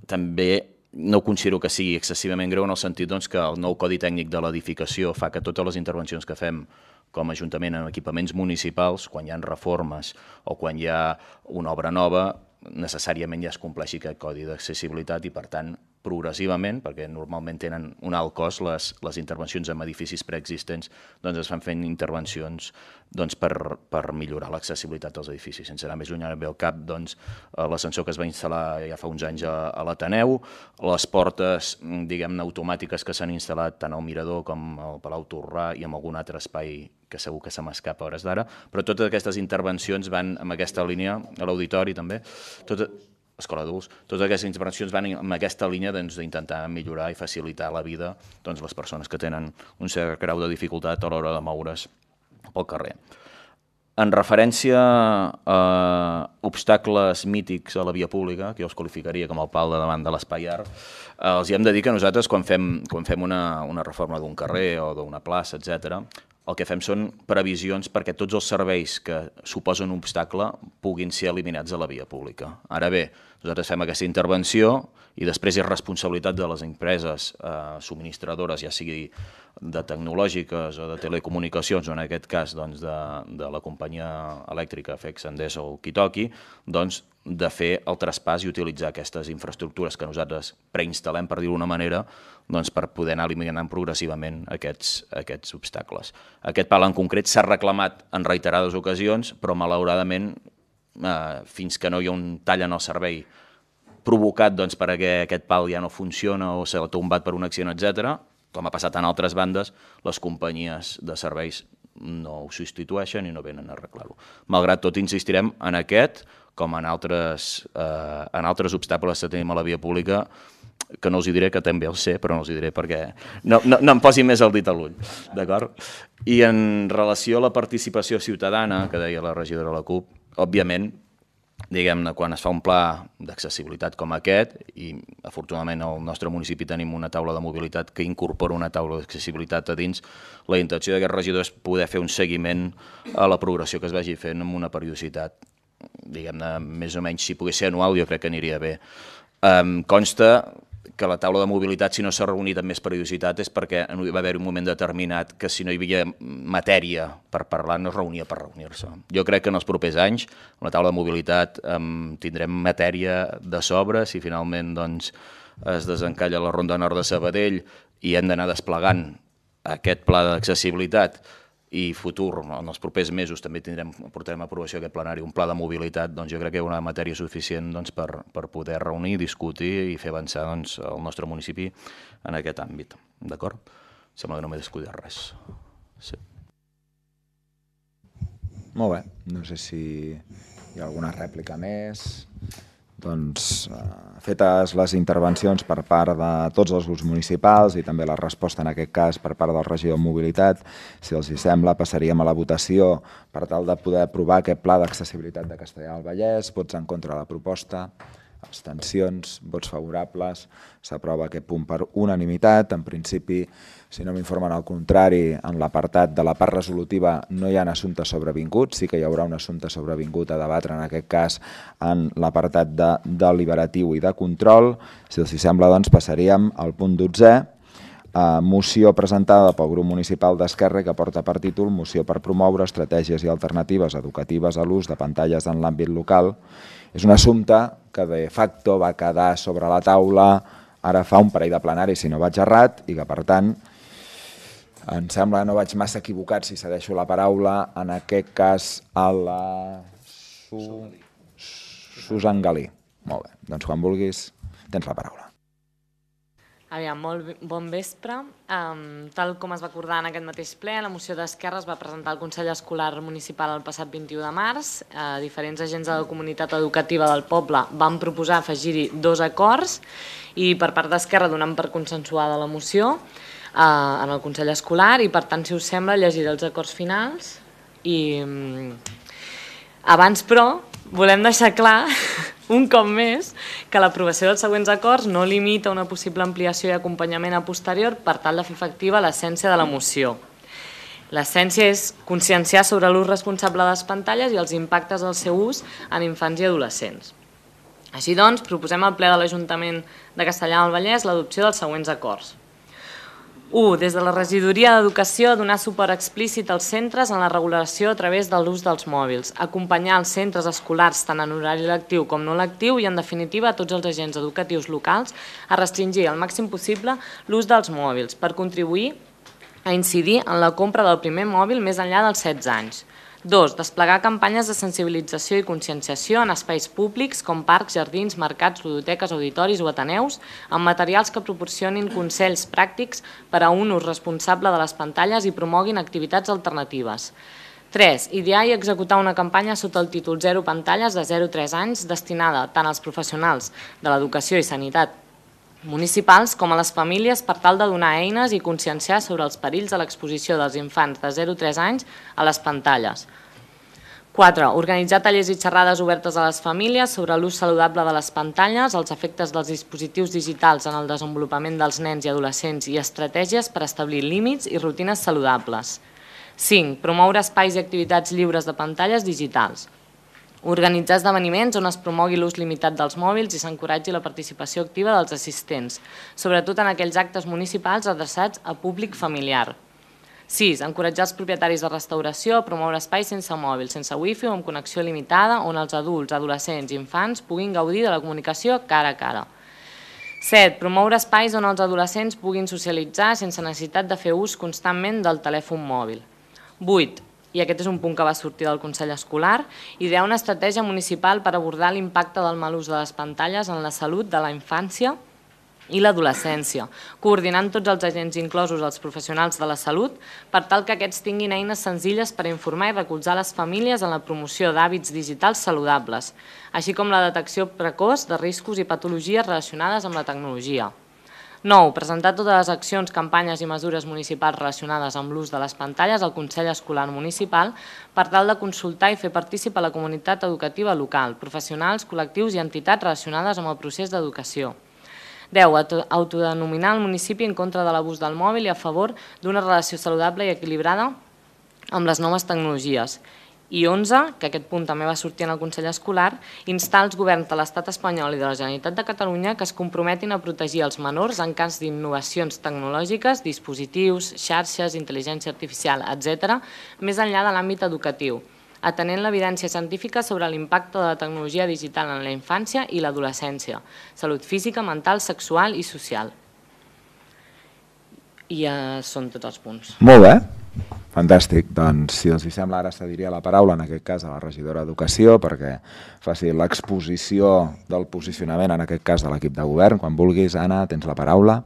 [SPEAKER 8] també no considero que sigui excessivament greu en el sentit doncs, que el nou Codi Tècnic de l'Edificació fa que totes les intervencions que fem com a Ajuntament en equipaments municipals, quan hi ha reformes o quan hi ha una obra nova, necessàriament ja es compleixi aquest codi d'accessibilitat i, per tant, progressivament, perquè normalment tenen un alt cost, les, les intervencions en edificis preexistents, doncs es fan fent intervencions doncs, per, per millorar l'accessibilitat als edificis. Sense anar més lluny, ara ve al cap doncs, l'ascensor que es va instal·lar ja fa uns anys a, a l'Ateneu, les portes diguem-ne automàtiques que s'han instal·lat tant al Mirador com al Palau Torrà i en algun altre espai que segur que se m'escapa a hores d'ara, però totes aquestes intervencions van en aquesta línia, a l'auditori també, tot, escola d'adults, totes aquestes intervencions van en aquesta línia d'intentar doncs, millorar i facilitar la vida doncs, les persones que tenen un cert grau de dificultat a l'hora de moure's pel carrer. En referència a obstacles mítics a la via pública, que jo els qualificaria com el pal de davant de l'espai art, els hi hem de dir que nosaltres quan fem, quan fem una, una reforma d'un carrer o d'una plaça, etcètera, el que fem són previsions perquè tots els serveis que suposen un obstacle puguin ser eliminats de la via pública. Ara bé, nosaltres fem aquesta intervenció i després és responsabilitat de les empreses eh, subministradores, ja sigui de tecnològiques o de telecomunicacions, o en aquest cas doncs, de, de la companyia elèctrica F E X, Endesa o qui toqui, doncs, de fer el traspàs i utilitzar aquestes infraestructures que nosaltres preinstal·lem, per dir-ho d'una manera, doncs, per poder anar eliminant progressivament aquests, aquests obstacles. Aquest pal en concret s'ha reclamat en reiterades ocasions, però malauradament, eh, fins que no hi ha un tall en el servei provocat doncs, perquè aquest pal ja no funciona o s'ha tombat per un accident, etcètera, com ha passat en altres bandes, les companyies de serveis no ho substitueixen i no venen a arreglar-ho. Malgrat tot, insistirem en aquest, com en altres, eh, en altres obstacles que tenim a la via pública, que no us hi diré, que també els sé, però no us hi diré perquè no, no, no em posi més el dit a l'ull, d'acord? I en relació a la participació ciutadana, que deia la regidora de la CUP, òbviament, diguem-ne, quan es fa un pla d'accessibilitat com aquest, i afortunadament al nostre municipi tenim una taula de mobilitat que incorpora una taula d'accessibilitat a dins, la intenció d'aquest regidor és poder fer un seguiment a la progressió que es vagi fent amb una periodicitat, diguem-ne, més o menys, si pogués ser anual, jo crec que aniria bé. Um, consta que la taula de mobilitat, si no s'ha reunit amb més periodicitat, és perquè va haver un moment determinat que si no hi havia matèria per parlar, no es reunia per reunir-se. Jo crec que en els propers anys, amb la taula de mobilitat, um, tindrem matèria de sobre, si finalment doncs, es desencalla la Ronda Nord de Sabadell i hem d'anar desplegant aquest pla d'accessibilitat i futur, en els propers mesos també tindrem, portarem a aprovació aquest plenari, un pla de mobilitat, doncs jo crec que hi ha una matèria suficient doncs, per, per poder reunir, discutir i fer avançar doncs, el nostre municipi en aquest àmbit. D'acord? Sembla que no m'he descuidat res. Sí.
[SPEAKER 1] Molt bé. No sé si hi ha alguna rèplica més. Doncs, eh, fetes les intervencions per part de tots els grups municipals i també la resposta en aquest cas per part del regidor de Mobilitat, si els hi sembla, passaríem a la votació per tal de poder aprovar aquest pla d'accessibilitat de Castellar del Vallès. Vots en contra de la proposta, abstencions, vots favorables, s'aprova aquest punt per unanimitat. En principi, si no m'informen al contrari, en l'apartat de la part resolutiva no hi ha assumptes sobrevinguts, sí que hi haurà un assumpte sobrevingut a debatre en aquest cas en l'apartat de deliberatiu i de control. Si els hi sembla, doncs passaríem al punt dotzè, eh, moció presentada pel grup municipal d'Esquerra que porta per títol Moció per promoure estratègies i alternatives educatives a l'ús de pantalles en l'àmbit local. És un assumpte que de facto va quedar sobre la taula ara fa un parell de plenaris, si no vaig errat, i que per tant em sembla que no vaig massa equivocat si cedeixo la paraula, en aquest cas a la Su... Susan Galí. Molt bé, doncs quan vulguis tens la paraula.
[SPEAKER 13] Aviam, molt bon vespre. Um, tal com es va acordar en aquest mateix ple, la moció d'Esquerra es va presentar al Consell Escolar Municipal el passat vint-i-u de març. Uh, diferents agents de la comunitat educativa del poble van proposar afegir-hi dos acords i per part d'Esquerra donem per consensuada la moció uh, en el Consell Escolar i per tant, si us sembla, llegiré els acords finals. I um, abans, però, volem deixar clar un cop més que l'aprovació dels següents acords no limita una possible ampliació i acompanyament a posterior per tal de fer efectiva l'essència de la moció. L'essència és conscienciar sobre l'ús responsable de les pantalles i els impactes del seu ús en infants i adolescents. Així doncs, proposem al ple de l'Ajuntament de Castellar del Vallès l'adopció dels següents acords. u. Des de la Regidoria d'Educació, donar suport explícit als centres en la regulació a través de l'ús dels mòbils, acompanyar els centres escolars tant en horari lectiu com no lectiu i, en definitiva, a tots els agents educatius locals a restringir al màxim possible l'ús dels mòbils per contribuir a incidir en la compra del primer mòbil més enllà dels setze anys. dos. Desplegar campanyes de sensibilització i conscienciació en espais públics com parcs, jardins, mercats, ludoteques, auditoris o ateneus, amb materials que proporcionin consells pràctics per a un ús responsable de les pantalles i promoguin activitats alternatives. tres. Idear i executar una campanya sota el títol Zero Pantalles de zero a tres anys destinada tant als professionals de l'educació i sanitat municipals com a les famílies per tal de donar eines i conscienciar sobre els perills de l'exposició dels infants de zero a tres anys a les pantalles. quatre. Organitzar tallers i xerrades obertes a les famílies sobre l'ús saludable de les pantalles, els efectes dels dispositius digitals en el desenvolupament dels nens i adolescents i estratègies per establir límits i rutines saludables. cinc. Promoure espais i activitats lliures de pantalles digitals. Organitzar esdeveniments on es promogui l'ús limitat dels mòbils i s'encoratgi la participació activa dels assistents, sobretot en aquells actes municipals adreçats a públic familiar. sis. Encoratjar els propietaris de restauració a promoure espais sense mòbil, sense wifi o amb connexió limitada on els adults, adolescents i infants puguin gaudir de la comunicació cara a cara. set. Promoure espais on els adolescents puguin socialitzar sense necessitat de fer ús constantment del telèfon mòbil. vuit. I aquest és un punt que va sortir del Consell Escolar, idear una estratègia municipal per abordar l'impacte del mal ús de les pantalles en la salut de la infància i l'adolescència, coordinant tots els agents inclosos els professionals de la salut per tal que aquests tinguin eines senzilles per informar i recolzar les famílies en la promoció d'hàbits digitals saludables, així com la detecció precoç de riscos i patologies relacionades amb la tecnologia. nou. Presentar totes les accions, campanyes i mesures municipals relacionades amb l'ús de les pantalles al Consell Escolar Municipal per tal de consultar i fer partícip a la comunitat educativa local, professionals, col·lectius i entitats relacionades amb el procés d'educació. deu. Autodenominar el municipi en contra de l'abús del mòbil i a favor d'una relació saludable i equilibrada amb les noves tecnologies. I onze, que aquest punt també va sortir en el Consell Escolar, instar els governs de l'Estat espanyol i de la Generalitat de Catalunya que es comprometin a protegir els menors en cas d'innovacions tecnològiques, dispositius, xarxes, intel·ligència artificial, etcètera, més enllà de l'àmbit educatiu, atenent l'evidència científica sobre l'impacte de la tecnologia digital en la infància i l'adolescència, salut física, mental, sexual i social. I ja són tots els punts.
[SPEAKER 1] Molt bé. Fantàstic, doncs si els sembla ara cediria la paraula en aquest cas a la regidora d'Educació perquè faci l'exposició del posicionament en aquest cas de l'equip de govern. Quan vulguis, Anna, tens la paraula.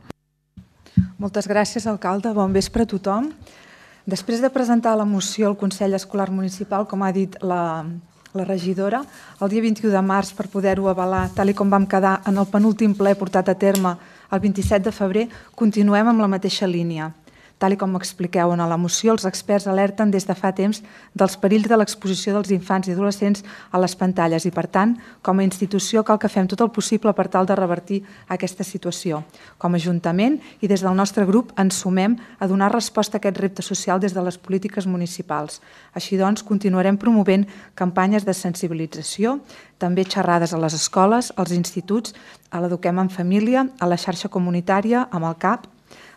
[SPEAKER 14] Moltes gràcies, alcalde. Bon vespre a tothom. Després de presentar la moció al Consell Escolar Municipal, com ha dit la, la regidora, el dia vint-i-u de març per poder-ho avalar, tal i com vam quedar en el penúltim ple portat a terme el vint-i-set de febrer, continuem amb la mateixa línia. Tal com expliqueu en la moció, els experts alerten des de fa temps dels perills de l'exposició dels infants i adolescents a les pantalles i, per tant, com a institució cal que fem tot el possible per tal de revertir aquesta situació. Com a Ajuntament i des del nostre grup ens sumem a donar resposta a aquest repte social des de les polítiques municipals. Així doncs, continuarem promovent campanyes de sensibilització, també xerrades a les escoles, als instituts, a l'Eduquem en Família, a la xarxa comunitària, amb el C A P.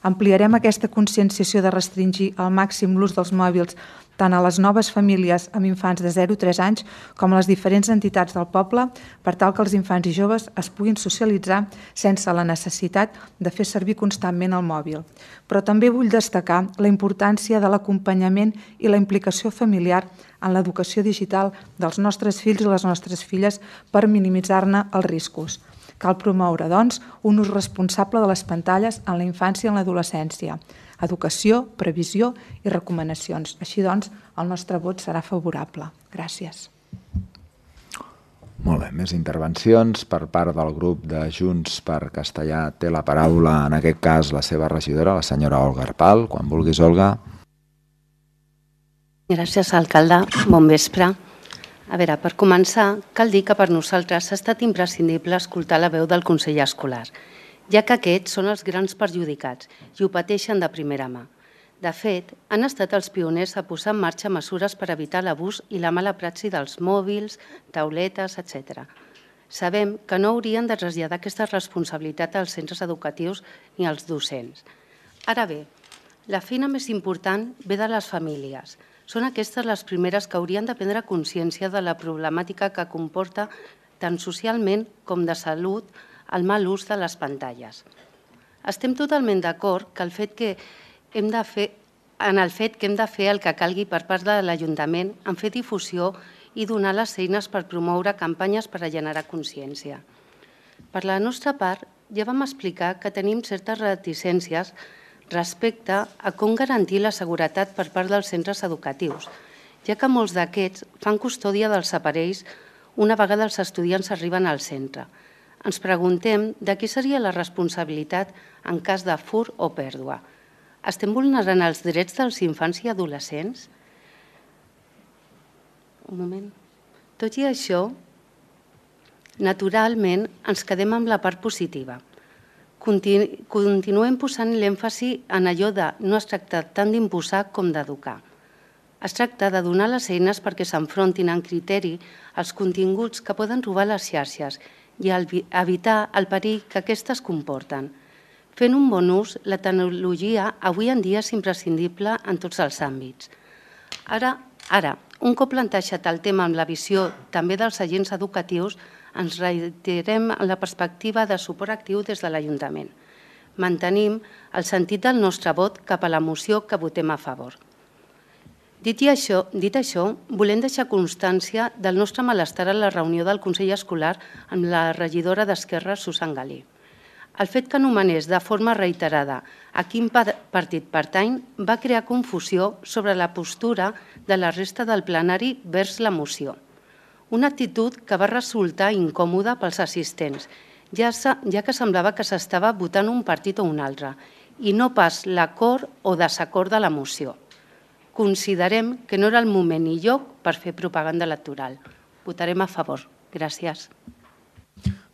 [SPEAKER 14] Ampliarem aquesta conscienciació de restringir al màxim l'ús dels mòbils tant a les noves famílies amb infants de zero a tres anys com a les diferents entitats del poble per tal que els infants i joves es puguin socialitzar sense la necessitat de fer servir constantment el mòbil. Però també vull destacar la importància de l'acompanyament i la implicació familiar en l'educació digital dels nostres fills i les nostres filles per minimitzar-ne els riscos. Cal promoure, doncs, un ús responsable de les pantalles en la infància i en l'adolescència. Educació, previsió i recomanacions. Així doncs, el nostre vot serà favorable. Gràcies.
[SPEAKER 1] Molt bé, més intervencions per part del grup de Junts per Castellà. Té la paraula, en aquest cas, la seva regidora, la senyora Olga Arpal. Quan vulguis, Olga.
[SPEAKER 15] Gràcies, alcalde. Bon vespre. A veure, per començar, cal dir que per nosaltres ha estat imprescindible escoltar la veu del Consell Escolar, ja que aquests són els grans perjudicats i ho pateixen de primera mà. De fet, han estat els pioners a posar en marxa mesures per evitar l'abús i la mala praxi dels mòbils, tauletes, etcètera. Sabem que no haurien de traslladar aquesta responsabilitat als centres educatius ni als docents. Ara bé, La feina més important ve de les famílies. Són aquestes les primeres que haurien de prendre consciència de la problemàtica que comporta tant socialment com de salut el mal ús de les pantalles. Estem totalment d'acord que el fet que hem de fer, en el fet que hem de fer el que calgui per part de l'Ajuntament en fer difusió i donar les eines per promoure campanyes per a generar consciència. Per la nostra part, ja vam explicar que tenim certes reticències respecte a com garantir la seguretat per part dels centres educatius, ja que molts d'aquests fan custòdia dels aparells una vegada els estudiants arriben al centre. Ens preguntem de qui seria la responsabilitat en cas de fur o pèrdua. Estem vulnerant els drets dels infants i adolescents? Un moment. Tot i això, naturalment, ens quedem amb la part positiva. Continuem posant l'èmfasi en allò de no es tracta tant d'imposar com d'educar. Es tracta de donar les eines perquè s'enfrontin en criteri als continguts que poden robar les xarxes i evitar el perill que aquestes comporten. Fent un bon ús, la tecnologia avui en dia és imprescindible en tots els àmbits. Ara, ara un cop plantejat el tema amb la visió també dels agents educatius, ens reiterem en la perspectiva de suport actiu des de l'Ajuntament. Mantenim el sentit del nostre vot cap a la moció que votem a favor. Dit això, dit això, volem deixar constància del nostre malestar a la reunió del Consell Escolar amb la regidora d'Esquerra, Susan Galí. El fet que anomenés de forma reiterada a quin partit pertany va crear confusió sobre la postura de la resta del plenari vers la moció. Una actitud que va resultar incòmoda pels assistents, ja que semblava que s'estava votant un partit o un altre, i no pas l'acord o desacord de la moció. Considerem que no era el moment ni lloc per fer propaganda electoral. Votarem a favor. Gràcies.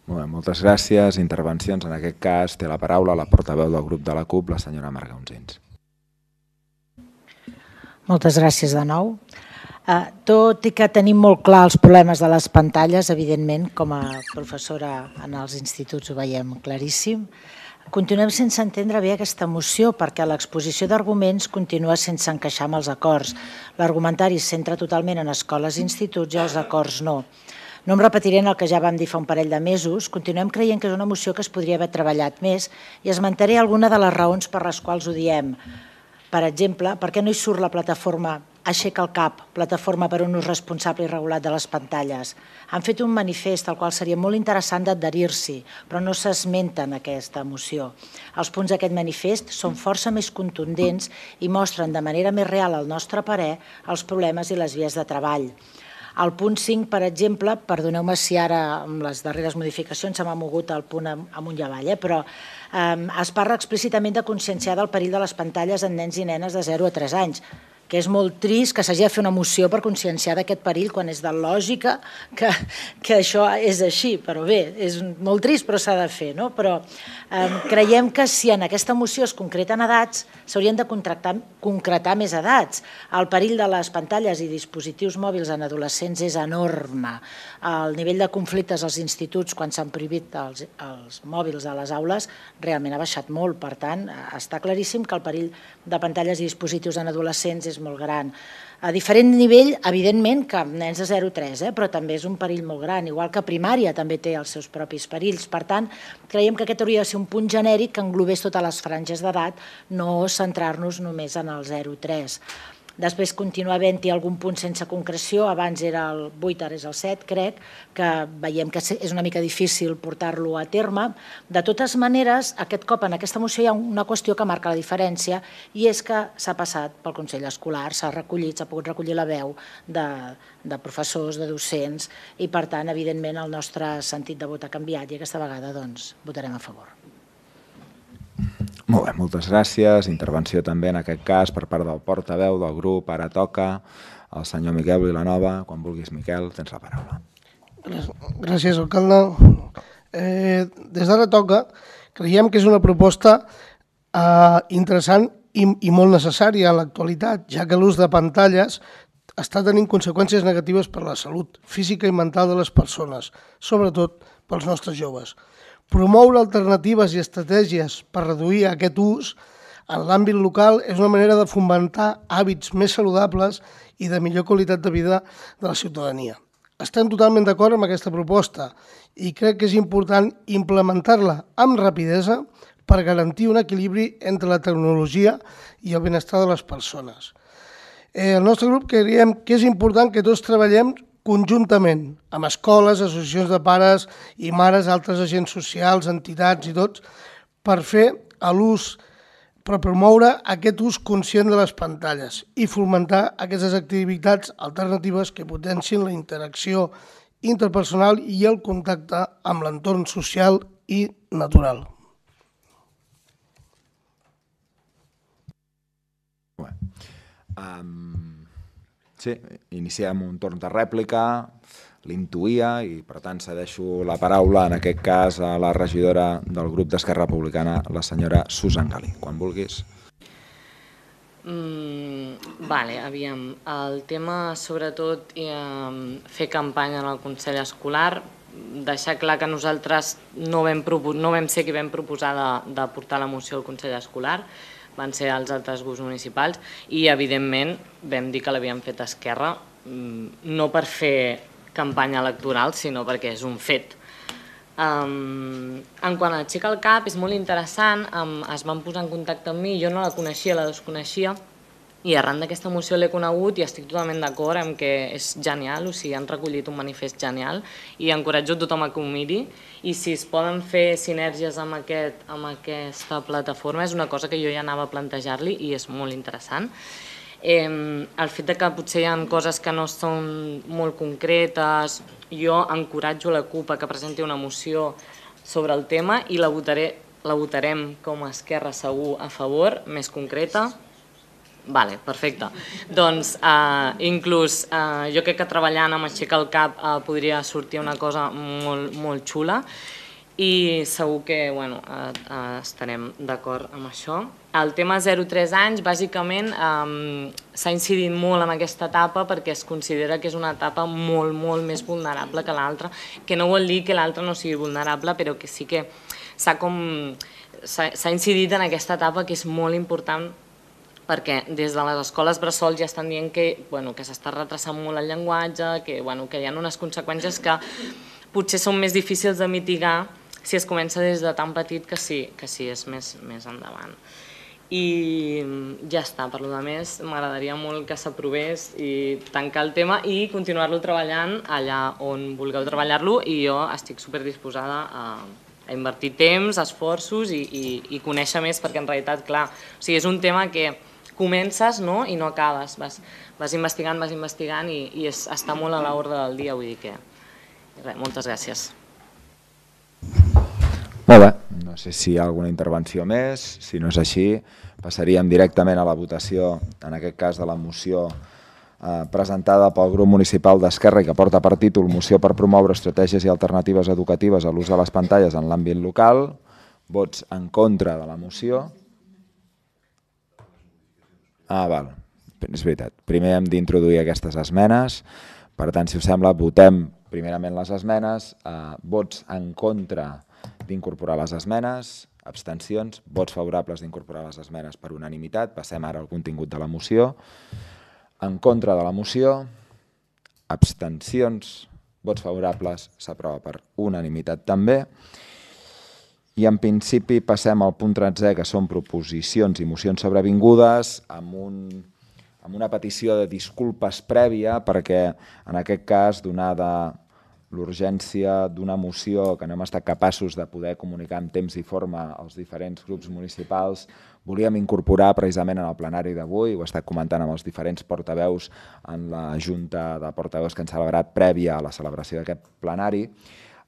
[SPEAKER 1] Molt bé, moltes gràcies. Intervencions. En aquest cas té la paraula la portaveu del grup de la CUP, la senyora Marga Unsins.
[SPEAKER 11] Moltes gràcies de nou. Tot i que tenim molt clar els problemes de les pantalles, evidentment, com a professora en els instituts ho veiem claríssim, continuem sense entendre bé aquesta moció perquè l'exposició d'arguments continua sense encaixar amb els acords. L'argumentari es centra totalment en escoles i instituts i els acords no. No em repetiré en el que ja vam dir fa un parell de mesos, continuem creient que és una moció que es podria haver treballat més i esmentaré alguna de les raons per les quals ho diem. Per exemple, per què no hi surt la plataforma Aixeca el cap, plataforma per un ús responsable i regulat de les pantalles? Han fet un manifest al qual seria molt interessant d'adherir-s'hi, però no s'esmenta en aquesta moció. Els punts d'aquest manifest són força més contundents i mostren de manera més real, al nostre parer, els problemes i les vies de treball. Al punt cinc, per exemple, perdoneu-me si ara amb les darreres modificacions se m'ha mogut el punt amunt i avall, però es parla explícitament de conscienciar del perill de les pantalles en nens i nenes de zero a tres anys, que és molt trist que s'hagi de fer una moció per conscienciar d'aquest perill quan és de lògica que, que això és així, però bé, és molt trist però s'ha de fer, no? Però eh, creiem que si en aquesta moció es concreten edats, s'haurien de concretar més edats. El perill de les pantalles i dispositius mòbils en adolescents és enorme. El nivell de conflictes als instituts quan s'han prohibit els, els mòbils a les aules realment ha baixat molt, per tant, està claríssim que el perill de pantalles i dispositius en adolescents és molt gran. A diferent nivell, evidentment, que nens de zero a tres, eh? Però també és un perill molt gran, igual que primària també té els seus propis perills. Per tant, creiem que aquest hauria de ser un punt genèric que englobés totes les franges d'edat, no centrar-nos només en el zero a tres. Després continua havent-hi algun punt sense concreció, abans era el vuit, ara és el set, crec, que veiem que és una mica difícil portar-lo a terme. De totes maneres, aquest cop en aquesta moció hi ha una qüestió que marca la diferència i és que s'ha passat pel Consell Escolar, s'ha recollit, s'ha pogut recollir la veu de, de professors, de docents i per tant, evidentment, el nostre sentit de vot ha canviat i aquesta vegada doncs, votarem a favor.
[SPEAKER 1] Molt bé, moltes gràcies. Intervenció també en aquest cas per part del portaveu del grup. Ara toca el senyor Miquel Vilanova. Quan vulguis, Miquel, tens la paraula.
[SPEAKER 12] Gràcies, alcalde. Eh, des d'ara toca, creiem que és una proposta eh, interessant i, i molt necessària a l'actualitat, ja que l'ús de pantalles està tenint conseqüències negatives per a la salut física i mental de les persones, sobretot pels nostres joves. Promoure alternatives i estratègies per reduir aquest ús en l'àmbit local és una manera de fomentar hàbits més saludables i de millor qualitat de vida de la ciutadania. Estem totalment d'acord amb aquesta proposta i crec que és important implementar-la amb rapidesa per garantir un equilibri entre la tecnologia i el benestar de les persones. El nostre grup creiem que és important que tots treballem conjuntament amb escoles, associacions de pares i mares, altres agents socials, entitats i tots, per fer l'ús, per promoure aquest ús conscient de les pantalles i fomentar aquestes activitats alternatives que potencien la interacció interpersonal i el contacte amb l'entorn social i natural.
[SPEAKER 1] Um, sí, iniciem un torn de rèplica, l'intuïa i per tant cedeixo la paraula en aquest cas a la regidora del grup d'Esquerra Republicana, la senyora Susan Galí. Quan vulguis.
[SPEAKER 13] Mm, vale, aviam. El tema, sobretot, eh, fer campanya en el Consell Escolar, deixar clar que nosaltres no vam, no vam ser qui vam proposar de, de portar la moció al Consell Escolar, van ser els altres grups municipals i, evidentment, vam dir que l'havíem fet a Esquerra, no per fer campanya electoral, sinó perquè és un fet. Um, en quant a Aixeca el Cap, és molt interessant, um, es van posar en contacte amb mi, jo no la coneixia, la desconeixia, i arran d'aquesta moció l'he conegut i estic totalment d'acord amb que és genial, o sigui, han recollit un manifest genial i encoratjo tothom a que ho miri i si es poden fer sinergies amb, aquest, amb aquesta plataforma és una cosa que jo ja anava a plantejar-li i és molt interessant. Eh, el fet de que potser hi ha coses que no són molt concretes, jo encoratjo la CUP a que presenti una moció sobre el tema i la, votaré, la votarem com a Esquerra segur a favor, més concreta. Vale, perfecte. Doncs eh, inclús eh, jo crec que treballant amb Aixeca el Cap eh, podria sortir una cosa molt, molt xula i segur que bueno, eh, eh, estarem d'acord amb això. El tema zero a tres anys, bàsicament, eh, s'ha incidit molt en aquesta etapa perquè es considera que és una etapa molt, molt més vulnerable que l'altra, que no vol dir que l'altra no sigui vulnerable, però que sí que s'ha com s'ha incidit en aquesta etapa que és molt important perquè des de les escoles bressol ja estan dient que, bueno, que s'està retrasant molt el llenguatge, que, bueno, que hi ha unes conseqüències que potser són més difícils de mitigar si es comença des de tan petit que sí, que sí és més, més endavant. I ja està, per lo de més, m'agradaria molt que s'aprovés i tancar el tema i continuar-lo treballant allà on vulgueu treballar-lo i jo estic superdisposada a, a invertir temps, esforços i, i, i conèixer més perquè en realitat, clar, o sigui, és un tema que comences no? I no acabes, vas, vas investigant, vas investigant i, i és, està molt a l'ordre del dia, vull dir que... Res, moltes gràcies.
[SPEAKER 1] Molt bé, no sé si hi ha alguna intervenció més, si no és així passaríem directament a la votació, en aquest cas de la moció eh, presentada pel grup municipal d'Esquerra i que porta per títol Moció per promoure estratègies i alternatives educatives a l'ús de les pantalles en l'àmbit local. Vots en contra de la moció. Ah, val, és veritat. Primer hem d'introduir aquestes esmenes, per tant, si us sembla, votem primerament les esmenes, eh, vots en contra d'incorporar les esmenes, abstencions, vots favorables d'incorporar les esmenes per unanimitat, passem ara al contingut de la moció, en contra de la moció, abstencions, vots favorables, s'aprova per unanimitat també, i en principi passem al punt tretzè, que són proposicions i mocions sobrevingudes, amb, un, amb una petició de disculpes prèvia, perquè en aquest cas, donada l'urgència d'una moció que no hem estat capaços de poder comunicar en temps i forma als diferents grups municipals, volíem incorporar precisament en el plenari d'avui, ho he estat comentant amb els diferents portaveus en la Junta de Portaveus que han celebrat prèvia a la celebració d'aquest plenari,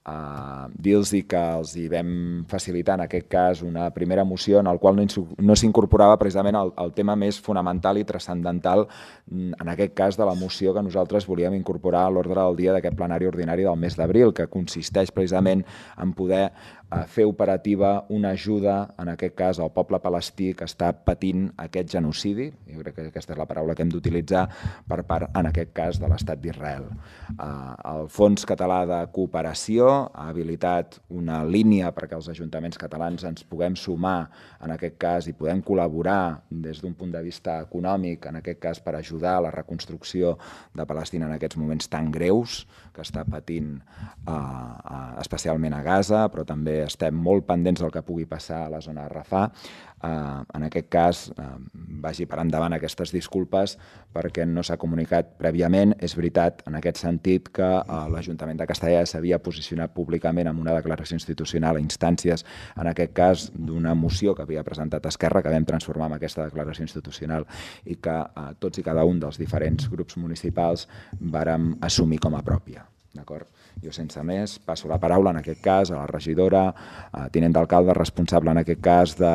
[SPEAKER 1] Uh, dir-los que els hi vam facilitar en aquest cas una primera moció en la qual no, no s'incorporava precisament el, el tema més fonamental i transcendental en aquest cas de la moció que nosaltres volíem incorporar a l'ordre del dia d'aquest plenari ordinari del mes d'abril, que consisteix precisament en poder uh, fer operativa una ajuda, en aquest cas al poble palestí que està patint aquest genocidi, jo crec que aquesta és la paraula que hem d'utilitzar per part, en aquest cas, de l'Estat d'Israel. Uh, el Fons Català de Cooperació ha habilitat una línia perquè els ajuntaments catalans ens puguem sumar en aquest cas i podem col·laborar des d'un punt de vista econòmic, en aquest cas per ajudar a la reconstrucció de Palestina en aquests moments tan greus que està patint eh, eh, especialment a Gaza, però també estem molt pendents del que pugui passar a la zona de Rafah. Uh, en aquest cas, uh, vagi per endavant aquestes disculpes perquè no s'ha comunicat prèviament. És veritat, en aquest sentit, que uh, l'Ajuntament de Castellar s'havia posicionat públicament amb una declaració institucional a instàncies, en aquest cas, d'una moció que havia presentat Esquerra, que vam transformar en aquesta declaració institucional i que uh, tots i cada un dels diferents grups municipals vàrem assumir com a pròpia. D'acord? Jo, sense més, passo la paraula, en aquest cas, a la regidora, a tinent d'alcalde, responsable, en aquest cas, de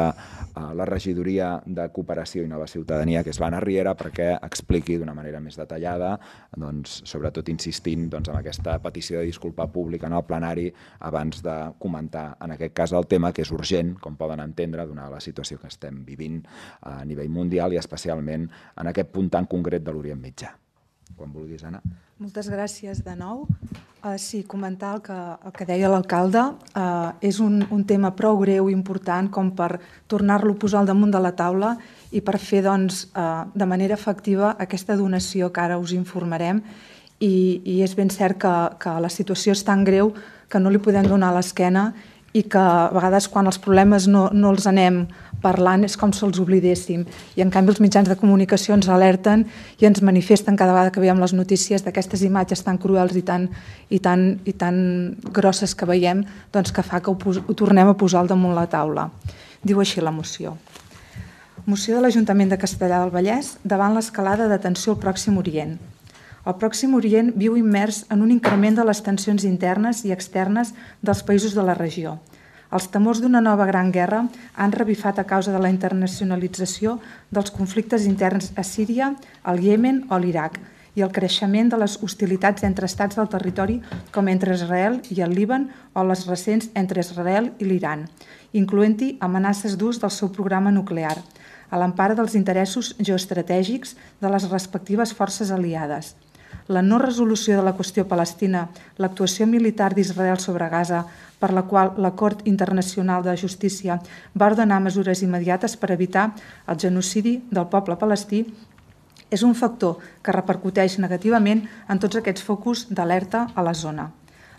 [SPEAKER 1] la regidoria de Cooperació i Nova Ciutadania, que és l'Anna Riera, perquè expliqui d'una manera més detallada, doncs, sobretot insistint doncs, en aquesta petició de disculpa pública en el plenari abans de comentar, en aquest cas, el tema, que és urgent, com poden entendre, donada la situació que estem vivint a nivell mundial i especialment en aquest punt tan concret de l'Orient Mitjà. Quan vulguis, Anna.
[SPEAKER 14] Moltes gràcies de nou. Uh, sí, comentar el que, el que deia l'alcalde. Uh, és un, un tema prou greu i important com per tornar-lo a posar al damunt de la taula i per fer doncs, uh, de manera efectiva aquesta donació que ara us informarem. I, i és ben cert que, que la situació és tan greu que no li podem donar l'esquena i que a vegades quan els problemes no, no els anem parlant és com si els oblidéssim. I en canvi els mitjans de comunicació ens alerten i ens manifesten cada vegada que veiem les notícies d'aquestes imatges tan cruels i tan, i tan, i tan grosses que veiem, doncs que fa que ho, pos, ho tornem a posar al damunt la taula. Diu així la moció. Moció de l'Ajuntament de Castellar del Vallès davant l'escalada de tensió al Pròxim Orient. El Pròxim Orient viu immers en un increment de les tensions internes i externes dels països de la regió. Els temors d'una nova gran guerra han revifat a causa de la internacionalització dels conflictes interns a Síria, al Iemen o a l'Iraq i el creixement de les hostilitats entre estats del territori com entre Israel i el Líban o les recents entre Israel i l'Iran, incloent-hi amenaces d'ús del seu programa nuclear, a l'empara dels interessos geoestratègics de les respectives forces aliades. La no resolució de la qüestió palestina, l'actuació militar d'Israel sobre Gaza, per la qual la Cort Internacional de Justícia va ordenar mesures immediates per evitar el genocidi del poble palestí, és un factor que repercuteix negativament en tots aquests focus d'alerta a la zona.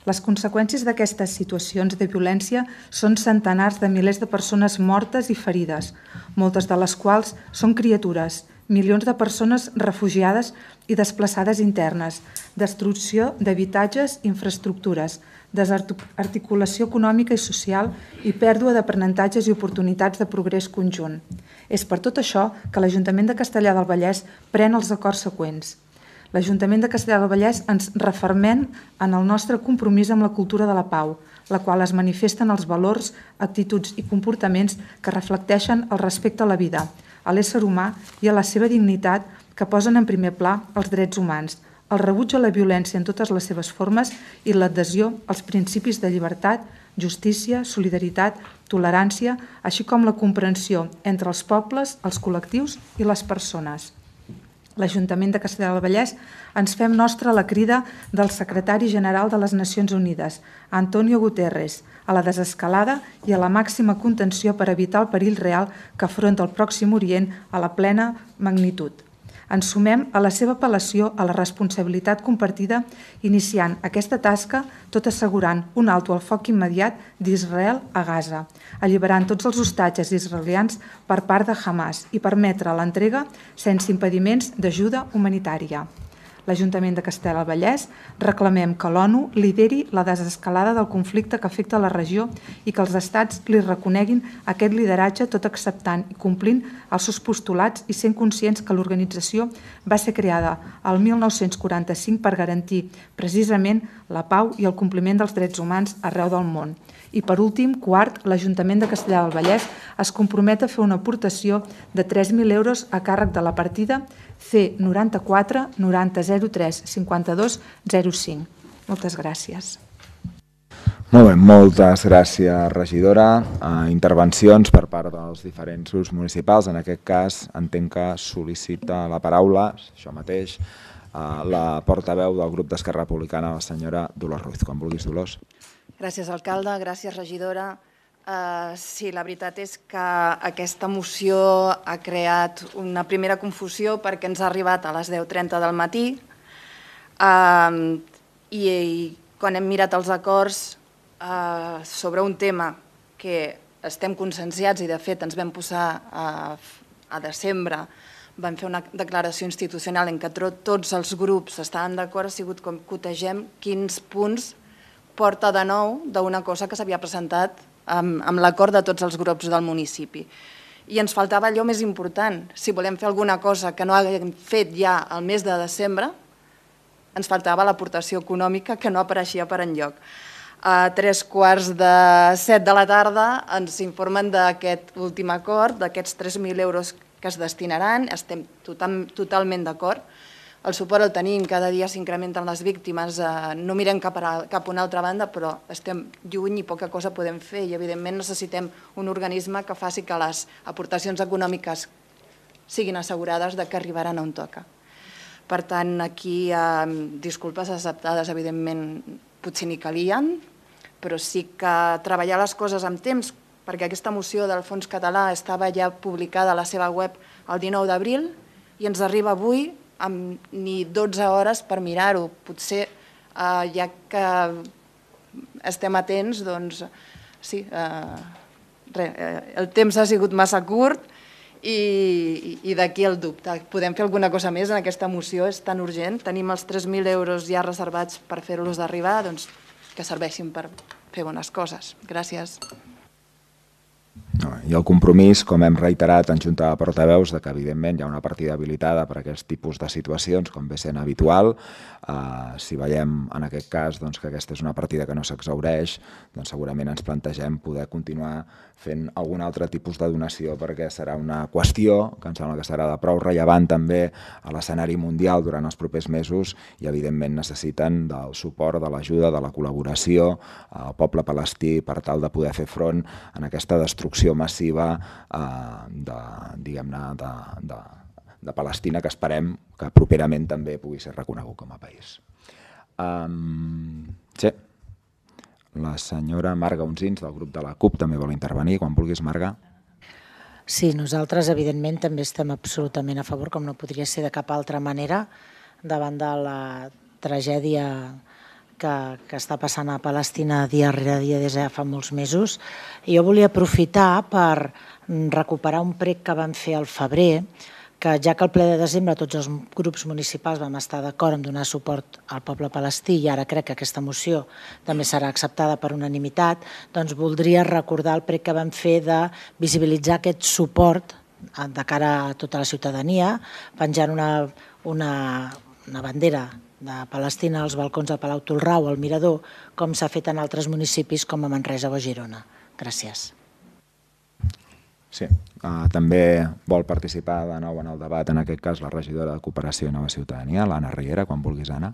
[SPEAKER 14] Les conseqüències d'aquestes situacions de violència són centenars de milers de persones mortes i ferides, moltes de les quals són criatures, milions de persones refugiades i desplaçades internes, destrucció d'habitatges i infraestructures, desarticulació econòmica i social i pèrdua d'aprenentatges i oportunitats de progrés conjunt. És per tot això que l'Ajuntament de Castellar del Vallès pren els acords següents. L'Ajuntament de Castellar del Vallès ens refermem en el nostre compromís amb la cultura de la pau, la qual es manifesta en els valors, actituds i comportaments que reflecteixen el respecte a la vida, a l'ésser humà i a la seva dignitat que posen en primer pla els drets humans, el rebuig a la violència en totes les seves formes i l'adhesió als principis de llibertat, justícia, solidaritat, tolerància, així com la comprensió entre els pobles, els col·lectius i les persones. L'Ajuntament de Castellar del Vallès ens fem nostra la crida del secretari general de les Nacions Unides, Antonio Guterres, a la desescalada i a la màxima contenció per evitar el perill real que afronta el Pròxim Orient a la plena magnitud. Ens sumem a la seva apel·lació a la responsabilitat compartida iniciant aquesta tasca tot assegurant un alto al foc immediat d'Israel a Gaza, alliberant tots els hostatges israelians per part de Hamas i permetre l'entrega sense impediments d'ajuda humanitària. L'Ajuntament de Castellar del Vallès reclamem que l'ONU lideri la desescalada del conflicte que afecta la regió i que els estats li reconeguin aquest lideratge tot acceptant i complint els seus postulats i sent conscients que l'organització va ser creada el mil nou-cents quaranta-cinc per garantir precisament la pau i el compliment dels drets humans arreu del món. I per últim, quart, l'Ajuntament de Castellar del Vallès es compromet a fer una aportació de tres mil euros a càrrec de la partida C noranta-quatre noranta zero tres cinquanta-dos zero cinc. Moltes gràcies.
[SPEAKER 1] Molt bé, moltes gràcies, regidora. Uh, intervencions per part dels diferents grups municipals. En aquest cas, entenc que sol·licita la paraula, això mateix, uh, la portaveu del grup d'Esquerra Republicana, la senyora Dolors Ruiz. Quan vulguis, Dolors.
[SPEAKER 16] Gràcies, alcalde. Gràcies, regidora. Uh, sí, la veritat és que aquesta moció ha creat una primera confusió perquè ens ha arribat a les deu trenta del matí uh, i, i quan hem mirat els acords uh, sobre un tema que estem conscienciats i de fet ens vam posar a, a desembre, vam fer una declaració institucional en què tots els grups estaven d'acord, ha sigut com cotegem quins punts porta de nou d'una cosa que s'havia presentat amb, amb l'acord de tots els grups del municipi. I ens faltava allò més important. Si volem fer alguna cosa que no haguem fet ja al mes de desembre, ens faltava l'aportació econòmica que no apareixia per enlloc. A tres quarts de set de la tarda ens informen d'aquest últim acord, d'aquests tres mil euros que es destinaran, estem total, totalment d'acord. El suport el tenim, cada dia s'incrementen les víctimes, eh, no mirem cap a, cap a una altra banda, però estem lluny i poca cosa podem fer i evidentment necessitem un organisme que faci que les aportacions econòmiques siguin assegurades de que arribaran on toca. Per tant, aquí eh, disculpes acceptades, evidentment, potser ni calien, però sí que treballar les coses amb temps, perquè aquesta moció del Fons Català estava ja publicada a la seva web el dinou d'abril i ens arriba avui amb ni dotze hores per mirar-ho. Potser, eh, ja que estem atents, doncs, sí, eh, re, eh, el temps ha sigut massa curt i, i d'aquí el dubte. Podem fer alguna cosa més en aquesta moció? És tan urgent? Tenim els tres mil euros ja reservats per fer-los d'arribar, doncs que serveixin per fer bones coses. Gràcies.
[SPEAKER 1] I el compromís, com hem reiterat en Junta de Portaveus, que evidentment hi ha una partida habilitada per a aquest tipus de situacions, com ve sent habitual. Uh, si veiem en aquest cas doncs, que aquesta és una partida que no s'exhaureix, doncs segurament ens plantegem poder continuar fent algun altre tipus de donació, perquè serà una qüestió que em sembla que serà de prou rellevant també a l'escenari mundial durant els propers mesos i evidentment necessiten del suport, de l'ajuda, de la col·laboració al poble palestí per tal de poder fer front en aquesta destrucció massiva eh, de, diguem-ne, de, de, de Palestina, que esperem que properament també pugui ser reconegut com a país. Um, sí. La senyora Marga Unsins, del grup de la CUP, també vol intervenir. Quan vulguis, Marga.
[SPEAKER 11] Sí, nosaltres, evidentment, també estem absolutament a favor, com no podria ser de cap altra manera, davant de la tragèdia que, que està passant a Palestina dia rere dia des de fa molts mesos. I jo volia aprofitar per recuperar un prec que vam fer al febrer, que ja que al ple de desembre tots els grups municipals vam estar d'acord en donar suport al poble palestí i ara crec que aquesta moció també serà acceptada per unanimitat, doncs voldria recordar el prec que vam fer de visibilitzar aquest suport de cara a tota la ciutadania, penjant una, una, una bandera de Palestina als balcons de Palau Tolrau o al Mirador, com s'ha fet en altres municipis com a Manresa o a Girona. Gràcies.
[SPEAKER 1] Sí, uh, també vol participar de nou en el debat, en aquest cas la regidora de Cooperació i Nova Ciutadania, l'Anna Riera, quan vulguis, Anna.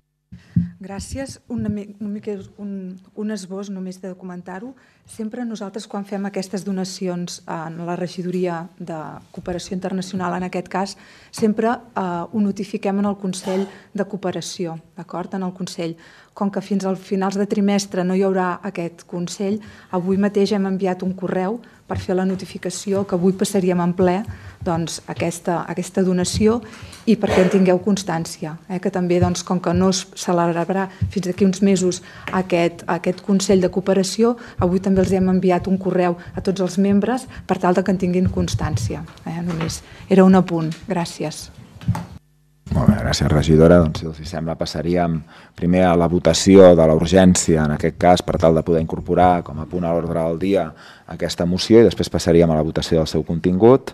[SPEAKER 14] Gràcies. Una, una mica, un, un esbós només de comentar-ho. Sempre nosaltres, quan fem aquestes donacions en la regidoria de Cooperació Internacional, en aquest cas, sempre eh, ho notifiquem en el Consell de Cooperació, d'acord? En el Consell. Com que fins al finals de trimestre no hi haurà aquest Consell, avui mateix hem enviat un correu per fer la notificació que avui passaríem en ple doncs, aquesta, aquesta donació i perquè en tingueu constància, eh, que també, doncs, com que no es celebrarà fins d'aquí uns mesos aquest, aquest Consell de Cooperació, avui també els hem enviat un correu a tots els membres per tal de que en tinguin constància. Eh, només era un apunt. Gràcies.
[SPEAKER 1] Molt bé, gràcies, regidora. Doncs, si els sembla, passaríem primer a la votació de la urgència, en aquest cas, per tal de poder incorporar com a punt a l'ordre del dia aquesta moció i després passaríem a la votació del seu contingut.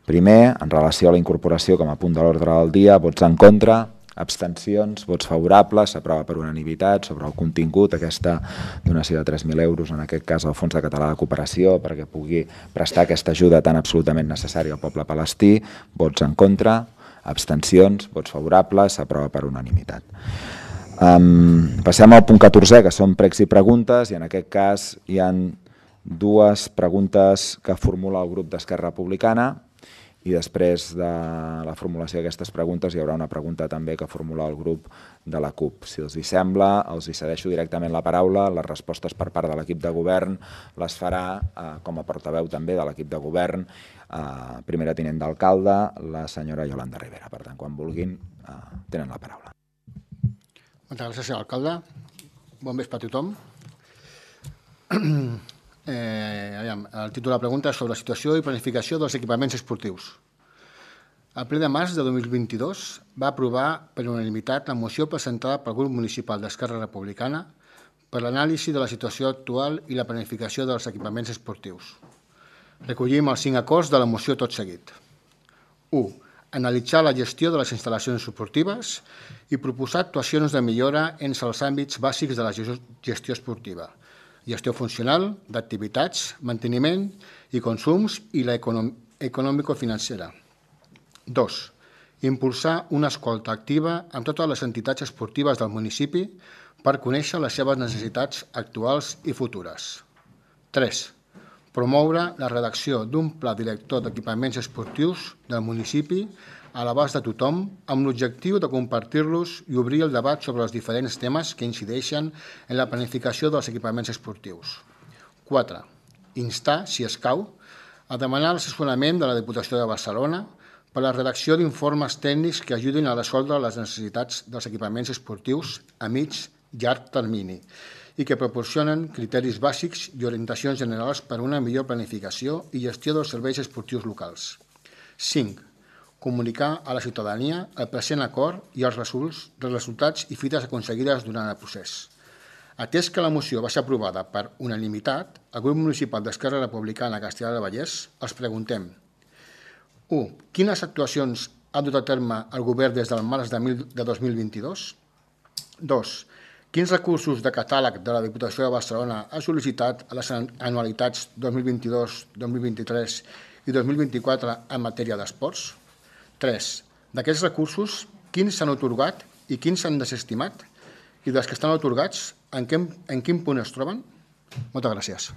[SPEAKER 1] Primer, en relació a la incorporació com a punt de l'ordre del dia, vots en contra, abstencions, vots favorables, s'aprova per unanimitat sobre el contingut, aquesta donació de tres mil euros, en aquest cas al Fons de Català de Cooperació, perquè pugui prestar aquesta ajuda tan absolutament necessària al poble palestí, vots en contra, abstencions, vots favorables, s'aprova per unanimitat. Um, passem al punt catorzè, que són pregs i preguntes, i en aquest cas hi ha dues preguntes que formula el grup d'Esquerra Republicana I després de la formulació d'aquestes preguntes hi haurà una pregunta també que formula el grup de la CUP. Si els hi sembla, els hi cedeixo directament la paraula. Les respostes per part de l'equip de govern les farà eh, com a portaveu també de l'equip de govern, eh, primera tinent d'alcalde, la senyora Yolanda Rivera. Per tant, quan vulguin, eh, tenen la paraula.
[SPEAKER 17] Moltes gràcies, senyor alcalde. Bon vespre a tothom. Eh, aviam, el títol de la pregunta és sobre la situació i planificació dels equipaments esportius. El ple de març de dos mil vint-i-dos va aprovar per unanimitat la moció presentada pel grup municipal d'Esquerra Republicana per l'anàlisi de la situació actual i la planificació dels equipaments esportius. Recollim els cinc acords de la moció tot seguit. u. Analitzar la gestió de les instal·lacions esportives i proposar actuacions de millora entre els àmbits bàsics de la gestió esportiva: gestió funcional, d'activitats, manteniment i consums i la econòmico-financera. dos. Impulsar una escolta activa amb totes les entitats esportives del municipi per conèixer les seves necessitats actuals i futures. tres. Promoure la redacció d'un pla director d'equipaments esportius del municipi a l'abast de tothom amb l'objectiu de compartir-los i obrir el debat sobre els diferents temes que incideixen en la planificació dels equipaments esportius. quatre. Instar, si escau, a demanar l'assessorament de la Diputació de Barcelona per la redacció d'informes tècnics que ajudin a resoldre les necessitats dels equipaments esportius a mig llarg termini i que proporcionen criteris bàsics i orientacions generals per a una millor planificació i gestió dels serveis esportius locals. cinc. Comunicar a la ciutadania el present acord i els resultats i fites aconseguides durant el procés. Atès que la moció va ser aprovada per unanimitat, el grup municipal d'Esquerra Republicana Castellar del Vallès els preguntem: u. Quines actuacions ha dut a terme el govern des del març de dos mil vint-i-dos? dos. Quins recursos de catàleg de la Diputació de Barcelona ha sol·licitat a les anualitats dos mil vint-i-dos, dos mil vint-i-tres i dos mil vint-i-quatre en matèria d'esports? tres. D'aquests recursos, quins s'han atorgat i quins s'han desestimat? I dels que estan atorgats, en quin, en quin punt es troben? Moltes gràcies.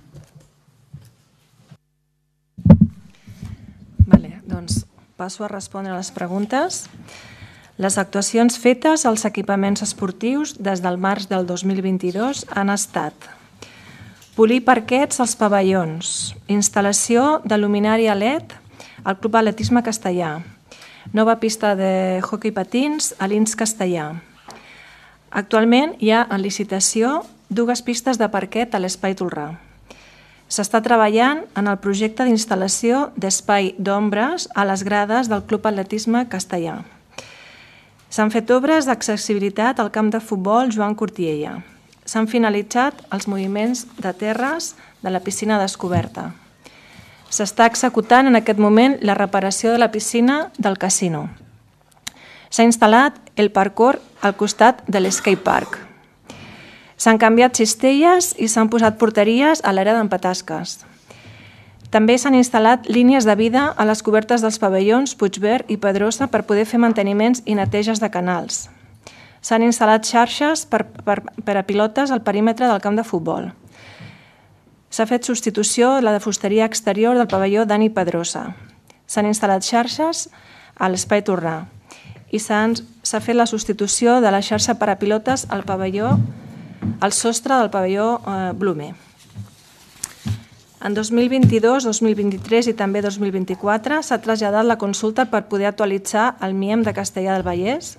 [SPEAKER 3] Vale, doncs passo a respondre a les preguntes. Les actuacions fetes als equipaments esportius des del març del dos mil vint-i-dos han estat: polir parquets als pavellons, instal·lació de luminària L E D al Club Atletisme Castellà, nova pista de hoquei patins a l'I N S Castellà. Actualment hi ha en licitació dues pistes de parquet a l'Espai Tolrà. S'està treballant en el projecte d'instal·lació d'espai d'ombres a les grades del Club Atletisme Castellà. S'han fet obres d'accessibilitat al camp de futbol Joan Cortiella. S'han finalitzat els moviments de terres de la piscina descoberta. S'està executant en aquest moment la reparació de la piscina del casino. S'ha instal·lat el parkour al costat de l'skatepark. S'han canviat cistelles i s'han posat porteries a l'era d'Empatasques. També s'han instal·lat línies de vida a les cobertes dels pavellons Puigverd i Pedrosa per poder fer manteniments i neteges de canals. S'han instal·lat xarxes per, per, per a pilotes al perímetre del camp de futbol. S'ha fet substitució de la de fusteria exterior del pavelló Dani Pedrosa. S'han instal·lat xarxes a l'Espai Tolrà i s'ha fet la substitució de la xarxa per a pilotes al pavelló, al sostre del pavelló eh, Blume. En dos mil vint-i-dos, dos mil vint-i-tres i també dos mil vint-i-quatre s'ha traslladat la consulta per poder actualitzar el M I E M de Castellar del Vallès.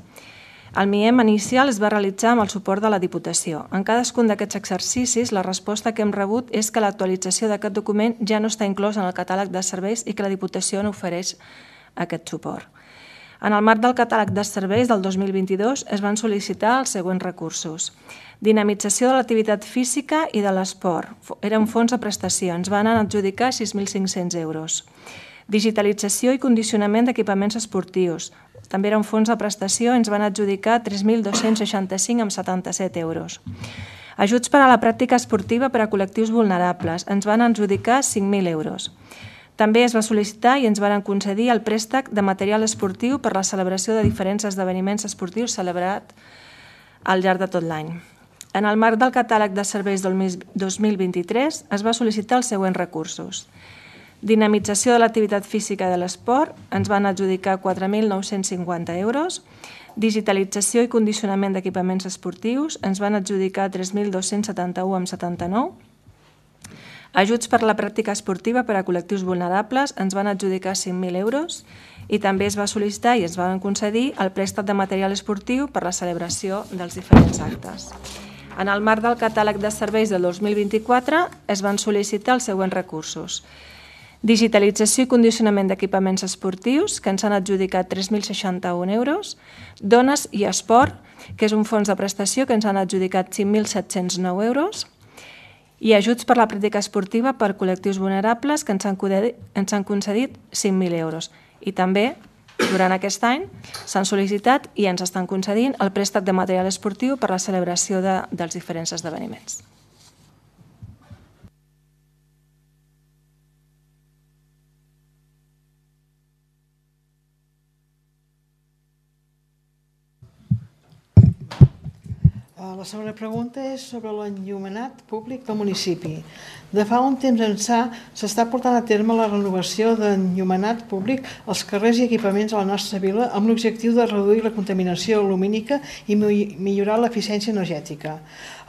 [SPEAKER 3] El M I E M inicial es va realitzar amb el suport de la Diputació. En cadascun d'aquests exercicis, la resposta que hem rebut és que l'actualització d'aquest document ja no està inclòs en el catàleg de serveis i que la Diputació no ofereix aquest suport. En el marc del catàleg de serveis del dos mil vint-i-dos es van sol·licitar els següents recursos: dinamització de l'activitat física i de l'esport. Era un fons de prestació. Ens van adjudicar sis mil cinc-cents euros. Digitalització i condicionament d'equipaments esportius. També era un fons de prestació. Ens van adjudicar tres mil dos-cents seixanta-cinc coma setanta-set euros. Ajuts per a la pràctica esportiva per a col·lectius vulnerables. Ens van adjudicar cinc mil euros. També es va sol·licitar i ens van concedir el préstec de material esportiu per la celebració de diferents esdeveniments esportius celebrat al llarg de tot l'any. En el marc del catàleg de serveis del dos mil vint-i-tres es va sol·licitar els següents recursos: Dinamització de l'activitat física i de l'esport, ens van adjudicar quatre mil nou-cents cinquanta euros. Digitalització i condicionament d'equipaments esportius, ens van adjudicar tres mil dos-cents setanta-u coma setanta-nou. Ajuts per la pràctica esportiva per a col·lectius vulnerables, ens van adjudicar cinc mil euros i també es va sol·licitar i es van concedir el préstec de material esportiu per la celebració dels diferents actes. En el marc del catàleg de serveis del dos mil vint-i-quatre es van sol·licitar els següents recursos. Digitalització i condicionament d'equipaments esportius, que ens han adjudicat tres mil seixanta-un euros. Dones i esport, que és un fons de prestació que ens han adjudicat cinc mil set-cents nou euros. I ajuts per la pràctica esportiva per col·lectius vulnerables, que ens han concedit cinc mil euros. I també, durant aquest any, s'han sol·licitat i ens estan concedint el préstec de material esportiu per la celebració de, dels diferents esdeveniments.
[SPEAKER 9] La segona pregunta és sobre l'enllumenat públic del municipi. De fa un temps ençà s'està portant a terme la renovació d'enllumenat públic als carrers i equipaments a la nostra vila amb l'objectiu de reduir la contaminació lumínica i millorar l'eficiència energètica.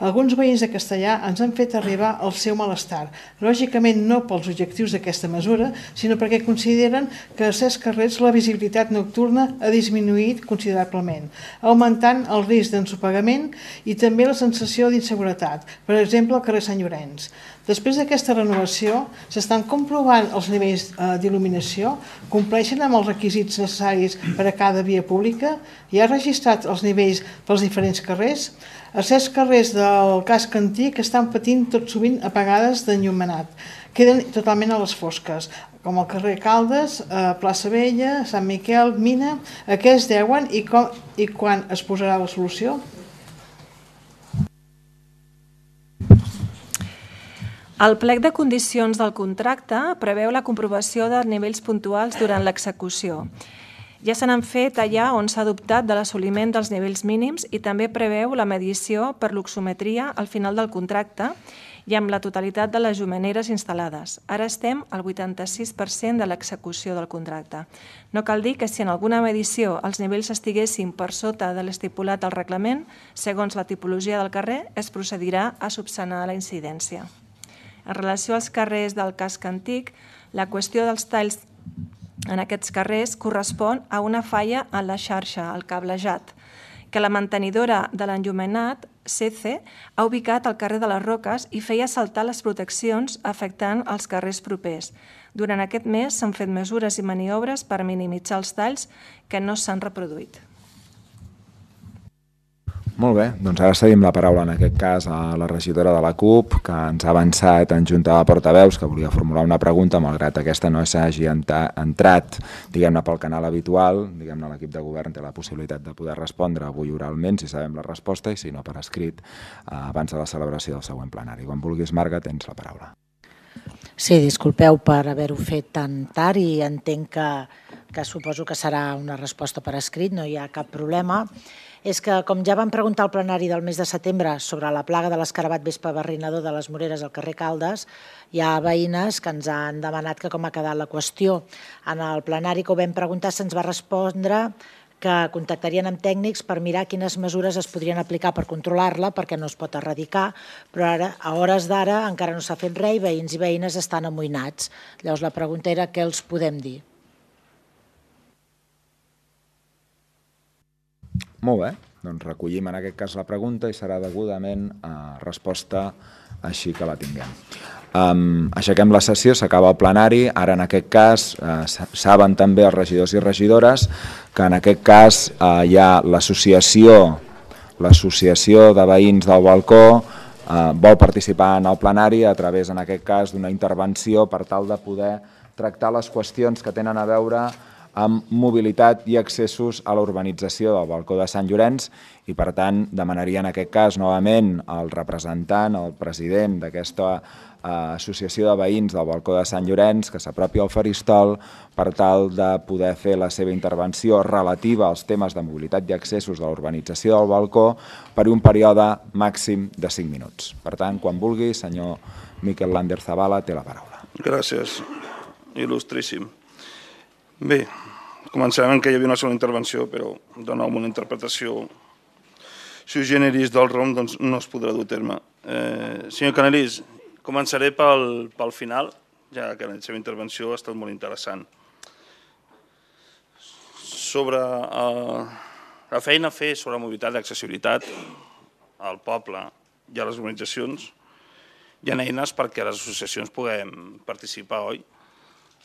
[SPEAKER 9] Alguns veïns de Castellar ens han fet arribar el seu malestar, lògicament no pels objectius d'aquesta mesura, sinó perquè consideren que a certs carrers la visibilitat nocturna ha disminuït considerablement, augmentant el risc d'ensopegament i també la sensació d'inseguretat, per exemple al carrer Sant Llorenç. Després d'aquesta renovació, s'estan comprovant els nivells d'il·luminació, compleixen amb els requisits necessaris per a cada via pública, hi ha registrat els nivells pels diferents carrers. A certs carrers del casc antic estan patint tot sovint apagades d'enllumenat, queden totalment a les fosques, com el carrer Caldes, Plaça Vella, Sant Miquel, Mina. A què es deuen i quan es posarà la solució?
[SPEAKER 3] El plec de condicions del contracte preveu la comprovació de nivells puntuals durant l'execució. Ja se n'han fet allà on s'ha adoptat de l'assoliment dels nivells mínims i també preveu la medició per l'oximetria al final del contracte i amb la totalitat de les llumeneres instal·lades. Ara estem al vuitanta-sis per cent de l'execució del contracte. No cal dir que si en alguna medició els nivells estiguessin per sota de l'estipulat al reglament, segons la tipologia del carrer, es procedirà a subsanar la incidència. En relació als carrers del casc antic, la qüestió dels talls en aquests carrers correspon a una falla en la xarxa, el cablejat, que la mantenidora de l'enllumenat, C C, ha ubicat al carrer de les Roques i feia saltar les proteccions afectant els carrers propers. Durant aquest mes s'han fet mesures i maniobres per minimitzar els talls que no s'han reproduït.
[SPEAKER 1] Molt bé, doncs ara cedim la paraula en aquest cas a la regidora de la CUP, que ens ha avançat en junta de portaveus, que volia formular una pregunta, malgrat aquesta no s'hagi entrat diguem-ne pel canal habitual, diguem-ne l'equip de govern té la possibilitat de poder respondre avui oralment, si sabem la resposta, i si no per escrit, abans de la celebració del següent plenari. Quan vulguis, Marga, tens la paraula.
[SPEAKER 11] Sí, disculpeu per haver-ho fet tan tard i entenc que, que suposo que serà una resposta per escrit, no hi ha cap problema. És que, com ja vam preguntar al plenari del mes de setembre sobre la plaga de l'escarabat vespa barrinador de les Moreres al carrer Caldes, hi ha veïnes que ens han demanat que com ha quedat la qüestió. En el plenari que ho vam preguntar se'ns va respondre que contactarien amb tècnics per mirar quines mesures es podrien aplicar per controlar-la, perquè no es pot erradicar, però ara, a hores d'ara encara no s'ha fet res i veïns i veïnes estan amoïnats. Llavors la pregunta era què els podem dir.
[SPEAKER 1] Molt bé, doncs recollim en aquest cas la pregunta i serà degudament resposta així que la tinguem. Um, aixequem la sessió, s'acaba el plenari. Ara en aquest cas uh, saben també els regidors i regidores que en aquest cas uh, hi ha l'associació l'associació de veïns del balcó uh, vol participar en el plenari a través en aquest cas d'una intervenció per tal de poder tractar les qüestions que tenen a veure amb mobilitat i accessos a la urbanització del balcó de Sant Llorenç i per tant demanaria en aquest cas novament al representant, al president d'aquesta associació de veïns del balcó de Sant Llorenç que s'apropi al faristol per tal de poder fer la seva intervenció relativa als temes de mobilitat i accessos de la urbanització del balcó per un període màxim de cinc minuts. Per tant, quan vulgui, senyor Miquel Lander Zavala té la paraula.
[SPEAKER 6] Gràcies. il·lustríssim. Bé, començarem que hi havia una sola intervenció, però de nou una interpretació sui generis del R O M doncs no es podrà dur a terme. Eh, senyor Canelís, començaré pel, pel final, ja que la seva intervenció ha estat molt interessant. Sobre eh, la feina a fer sobre mobilitat i accessibilitat al poble i a les organitzacions, hi ha eines perquè les associacions puguem participar, oi?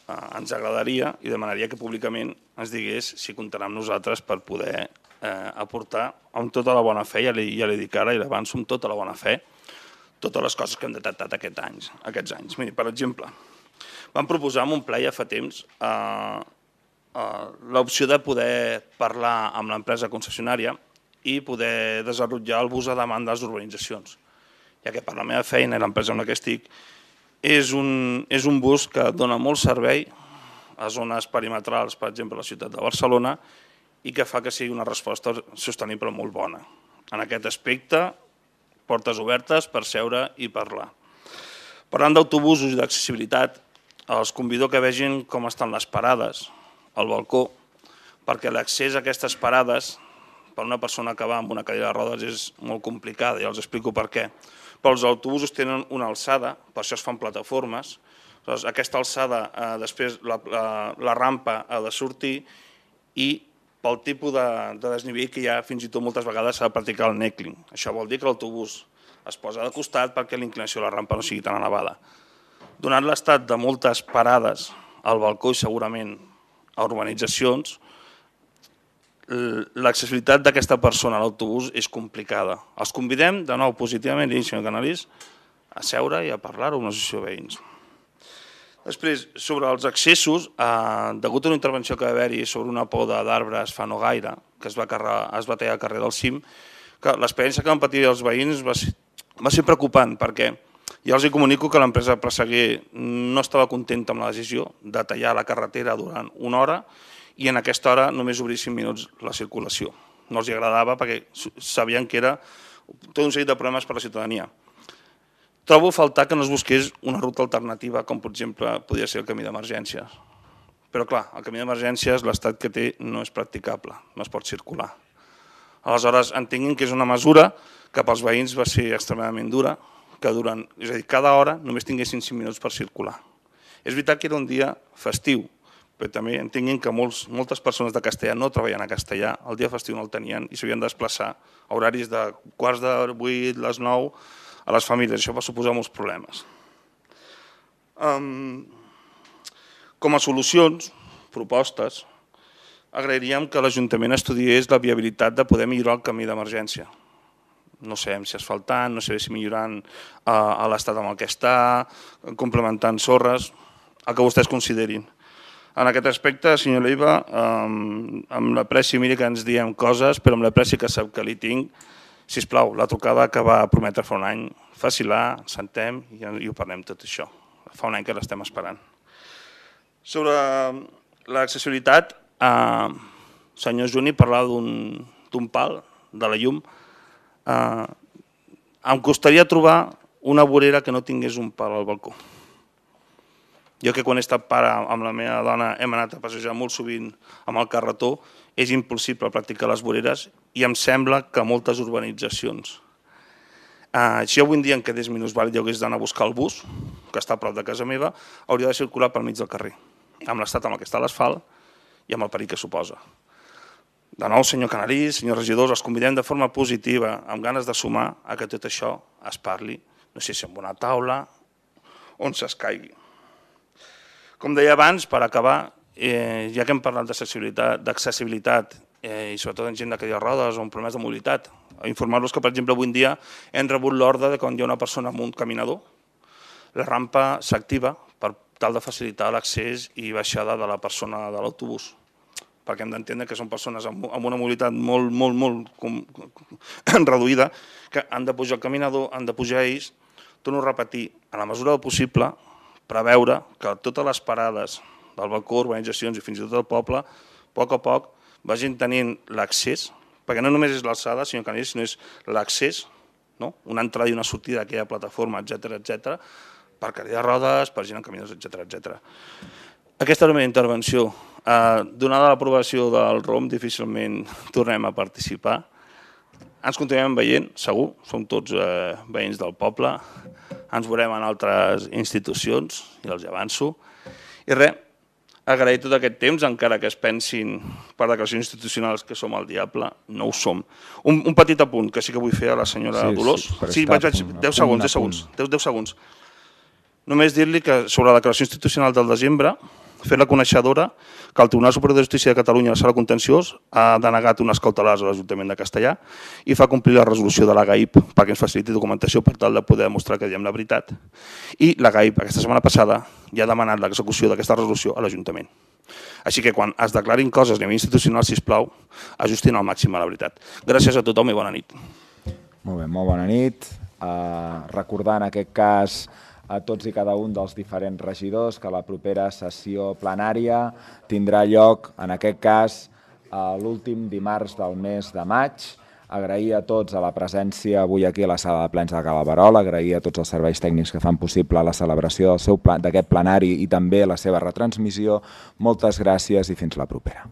[SPEAKER 6] Eh, ens agradaria i demanaria que públicament ens digués si comptarà amb nosaltres per poder eh, aportar amb tota la bona fe, ja li, ja li dic ara i l'avanço amb tota la bona fe, totes les coses que hem detectat aquests anys. Aquests anys. Miri, per exemple, vam proposar en un ple ja fa temps eh, eh, l'opció de poder parlar amb l'empresa concessionària i poder desenvolupar el bus a demanda de les urbanitzacions. Ja que per la meva feina i l'empresa en la que estic, és un, és un bus que dona molt servei a zones perimetrals, per exemple, a la ciutat de Barcelona, i que fa que sigui una resposta sostenible molt bona. En aquest aspecte, portes obertes per seure i parlar. Parlant d'autobusos i d'accessibilitat, els convido que vegin com estan les parades al balcó, perquè l'accés a aquestes parades per una persona que va amb una cadira de rodes és molt complicada, ja els explico per què. Però els autobusos tenen una alçada, per això es fan plataformes. Aquesta alçada, eh, després la, la, la rampa ha de sortir i pel tipus de, de desnivell que hi ha, fins i tot moltes vegades s'ha de practicar el neckling. Això vol dir que l'autobús es posa de costat perquè l'inclinació de la rampa no sigui tan elevada. Donat l'estat de moltes parades al balcó i segurament a urbanitzacions, l'accessibilitat d'aquesta persona a l'autobús és complicada. Els convidem, de nou, positivament, i senyor Canelís, a seure i a parlar-ho amb l'associació de veïns. Després, sobre els accessos, eh, degut a una intervenció que va haver-hi sobre una poda d'arbres fa no gaire, que es va, carrer, es va tallar al carrer del Cim, que l'experiència que van patir els veïns va ser, va ser preocupant, perquè ja els hi comunico que l'empresa Presseguer no estava contenta amb la decisió de tallar la carretera durant una hora i en aquesta hora només obrir cinc minuts la circulació. No els agradava perquè sabien que era tot un seguit de problemes per a la ciutadania. Trobo a faltar que no es busqués una ruta alternativa, com per exemple podria ser el camí d'emergències. Però clar, el camí d'emergències, l'estat que té no és practicable, no es pot circular. Aleshores, entenguin que és una mesura que pels veïns va ser extremadament dura, que durant, és a dir, cada hora només tinguessin cinc minuts per circular. És veritat que era un dia festiu, però també entenguin que molts, moltes persones de castellà no treballen a castellà, el dia festiu no el tenien i s'havien de desplaçar a horaris de quarts de vuit, les nou, a les famílies. Això va suposar molts problemes. Um, com a solucions, propostes, agrairíem que l'Ajuntament estudiés la viabilitat de poder millorar el camí d'emergència. No sabem si asfaltant, no sabem si millorant uh, a l'estat amb el que està, complementant sorres, el que vostès considerin. En aquest aspecte, senyor Leiva, um, amb l'apreci, miri que ens diem coses, però amb l'apreci que sap que li tinc, sisplau, la trucada que va prometre fa un any, faci-la, sentem i, i ho parlem tot això. Fa un any que l'estem esperant. Sobre l'accessibilitat, eh, senyor Juni parlava d'un pal de la llum. Eh, em costaria trobar una vorera que no tingués un pal al balcó. Jo que quan he estat pare amb la meva dona hem anat a passejar molt sovint amb el carretó, és impossible practicar les voreres i em sembla que moltes urbanitzacions. Eh, si avui en dia em quedés minusvàlid i hagués d'anar a buscar el bus, que està a prop de casa meva, hauria de circular pel mig del carrer, amb l'estat amb el que està l'asfalt i amb el perill que suposa. De nou, senyor Canelís, senyors regidors, els convidem de forma positiva, amb ganes de sumar a que tot això es parli, no sé si en una taula, on s'escaigui. Com deia abans, per acabar, eh, ja que hem parlat d'accessibilitat eh, i sobretot en gent de cadira de rodes o amb problemes de mobilitat, informar-los que, per exemple, avui en dia hem rebut l'ordre de quan hi ha una persona amb un caminador, la rampa s'activa per tal de facilitar l'accés i baixada de la persona de l'autobús, perquè hem d'entendre que són persones amb una mobilitat molt, molt, molt com, reduïda, que han de pujar el caminador, han de pujar ells. Torno a repetir, a la mesura del possible, preveure que totes les parades del balcó, urbanitzacions i fins i tot el poble, a poc a poc vagin tenint l'accés, perquè no només és l'alçada, senyor Canellis, sinó és l'accés, no? Una entrada i una sortida d'aquella plataforma, etcètera, etcètera, per cadira de rodes, per gent en caminadors, etcètera, etcètera. Aquesta és la meva intervenció. Donada l'aprovació del R O M, difícilment tornem a participar. Ens continuem veient, segur, som tots veïns del poble, ens veurem en altres institucions, i els avanço. I res, agrair tot aquest temps, encara que es pensin per declaracions institucionals que som el diable, no ho som. Un petit apunt que sí que vull fer a la senyora Dolors. Sí, vaig, vaig, deu segons, deu segons, deu segons. Només dir-li que sobre la declaració institucional del desembre, fer la coneixedora que el Tribunal Superior de Justícia de Catalunya, la Sala Contenciós, ha denegat unes cautelars a l'Ajuntament de Castellà i fa complir la resolució de la G A I P perquè ens faciliti documentació per tal de poder demostrar que diem la veritat. I la G A I P aquesta setmana passada ja ha demanat l'execució d'aquesta resolució a l'Ajuntament. Així que quan es declarin coses a nivell institucional, sisplau, ajustin al màxim a la veritat. Gràcies a tothom i bona nit.
[SPEAKER 1] Molt bé, molt bona nit. Recordar en aquest cas a tots i cada un dels diferents regidors que la propera sessió plenària tindrà lloc, en aquest cas, l'últim dimarts del mes de maig. Agrair a tots a la presència avui aquí a la sala de plens de Calaverol, agrair a tots els serveis tècnics que fan possible la celebració d'aquest plenari i també la seva retransmissió. Moltes gràcies i fins la propera.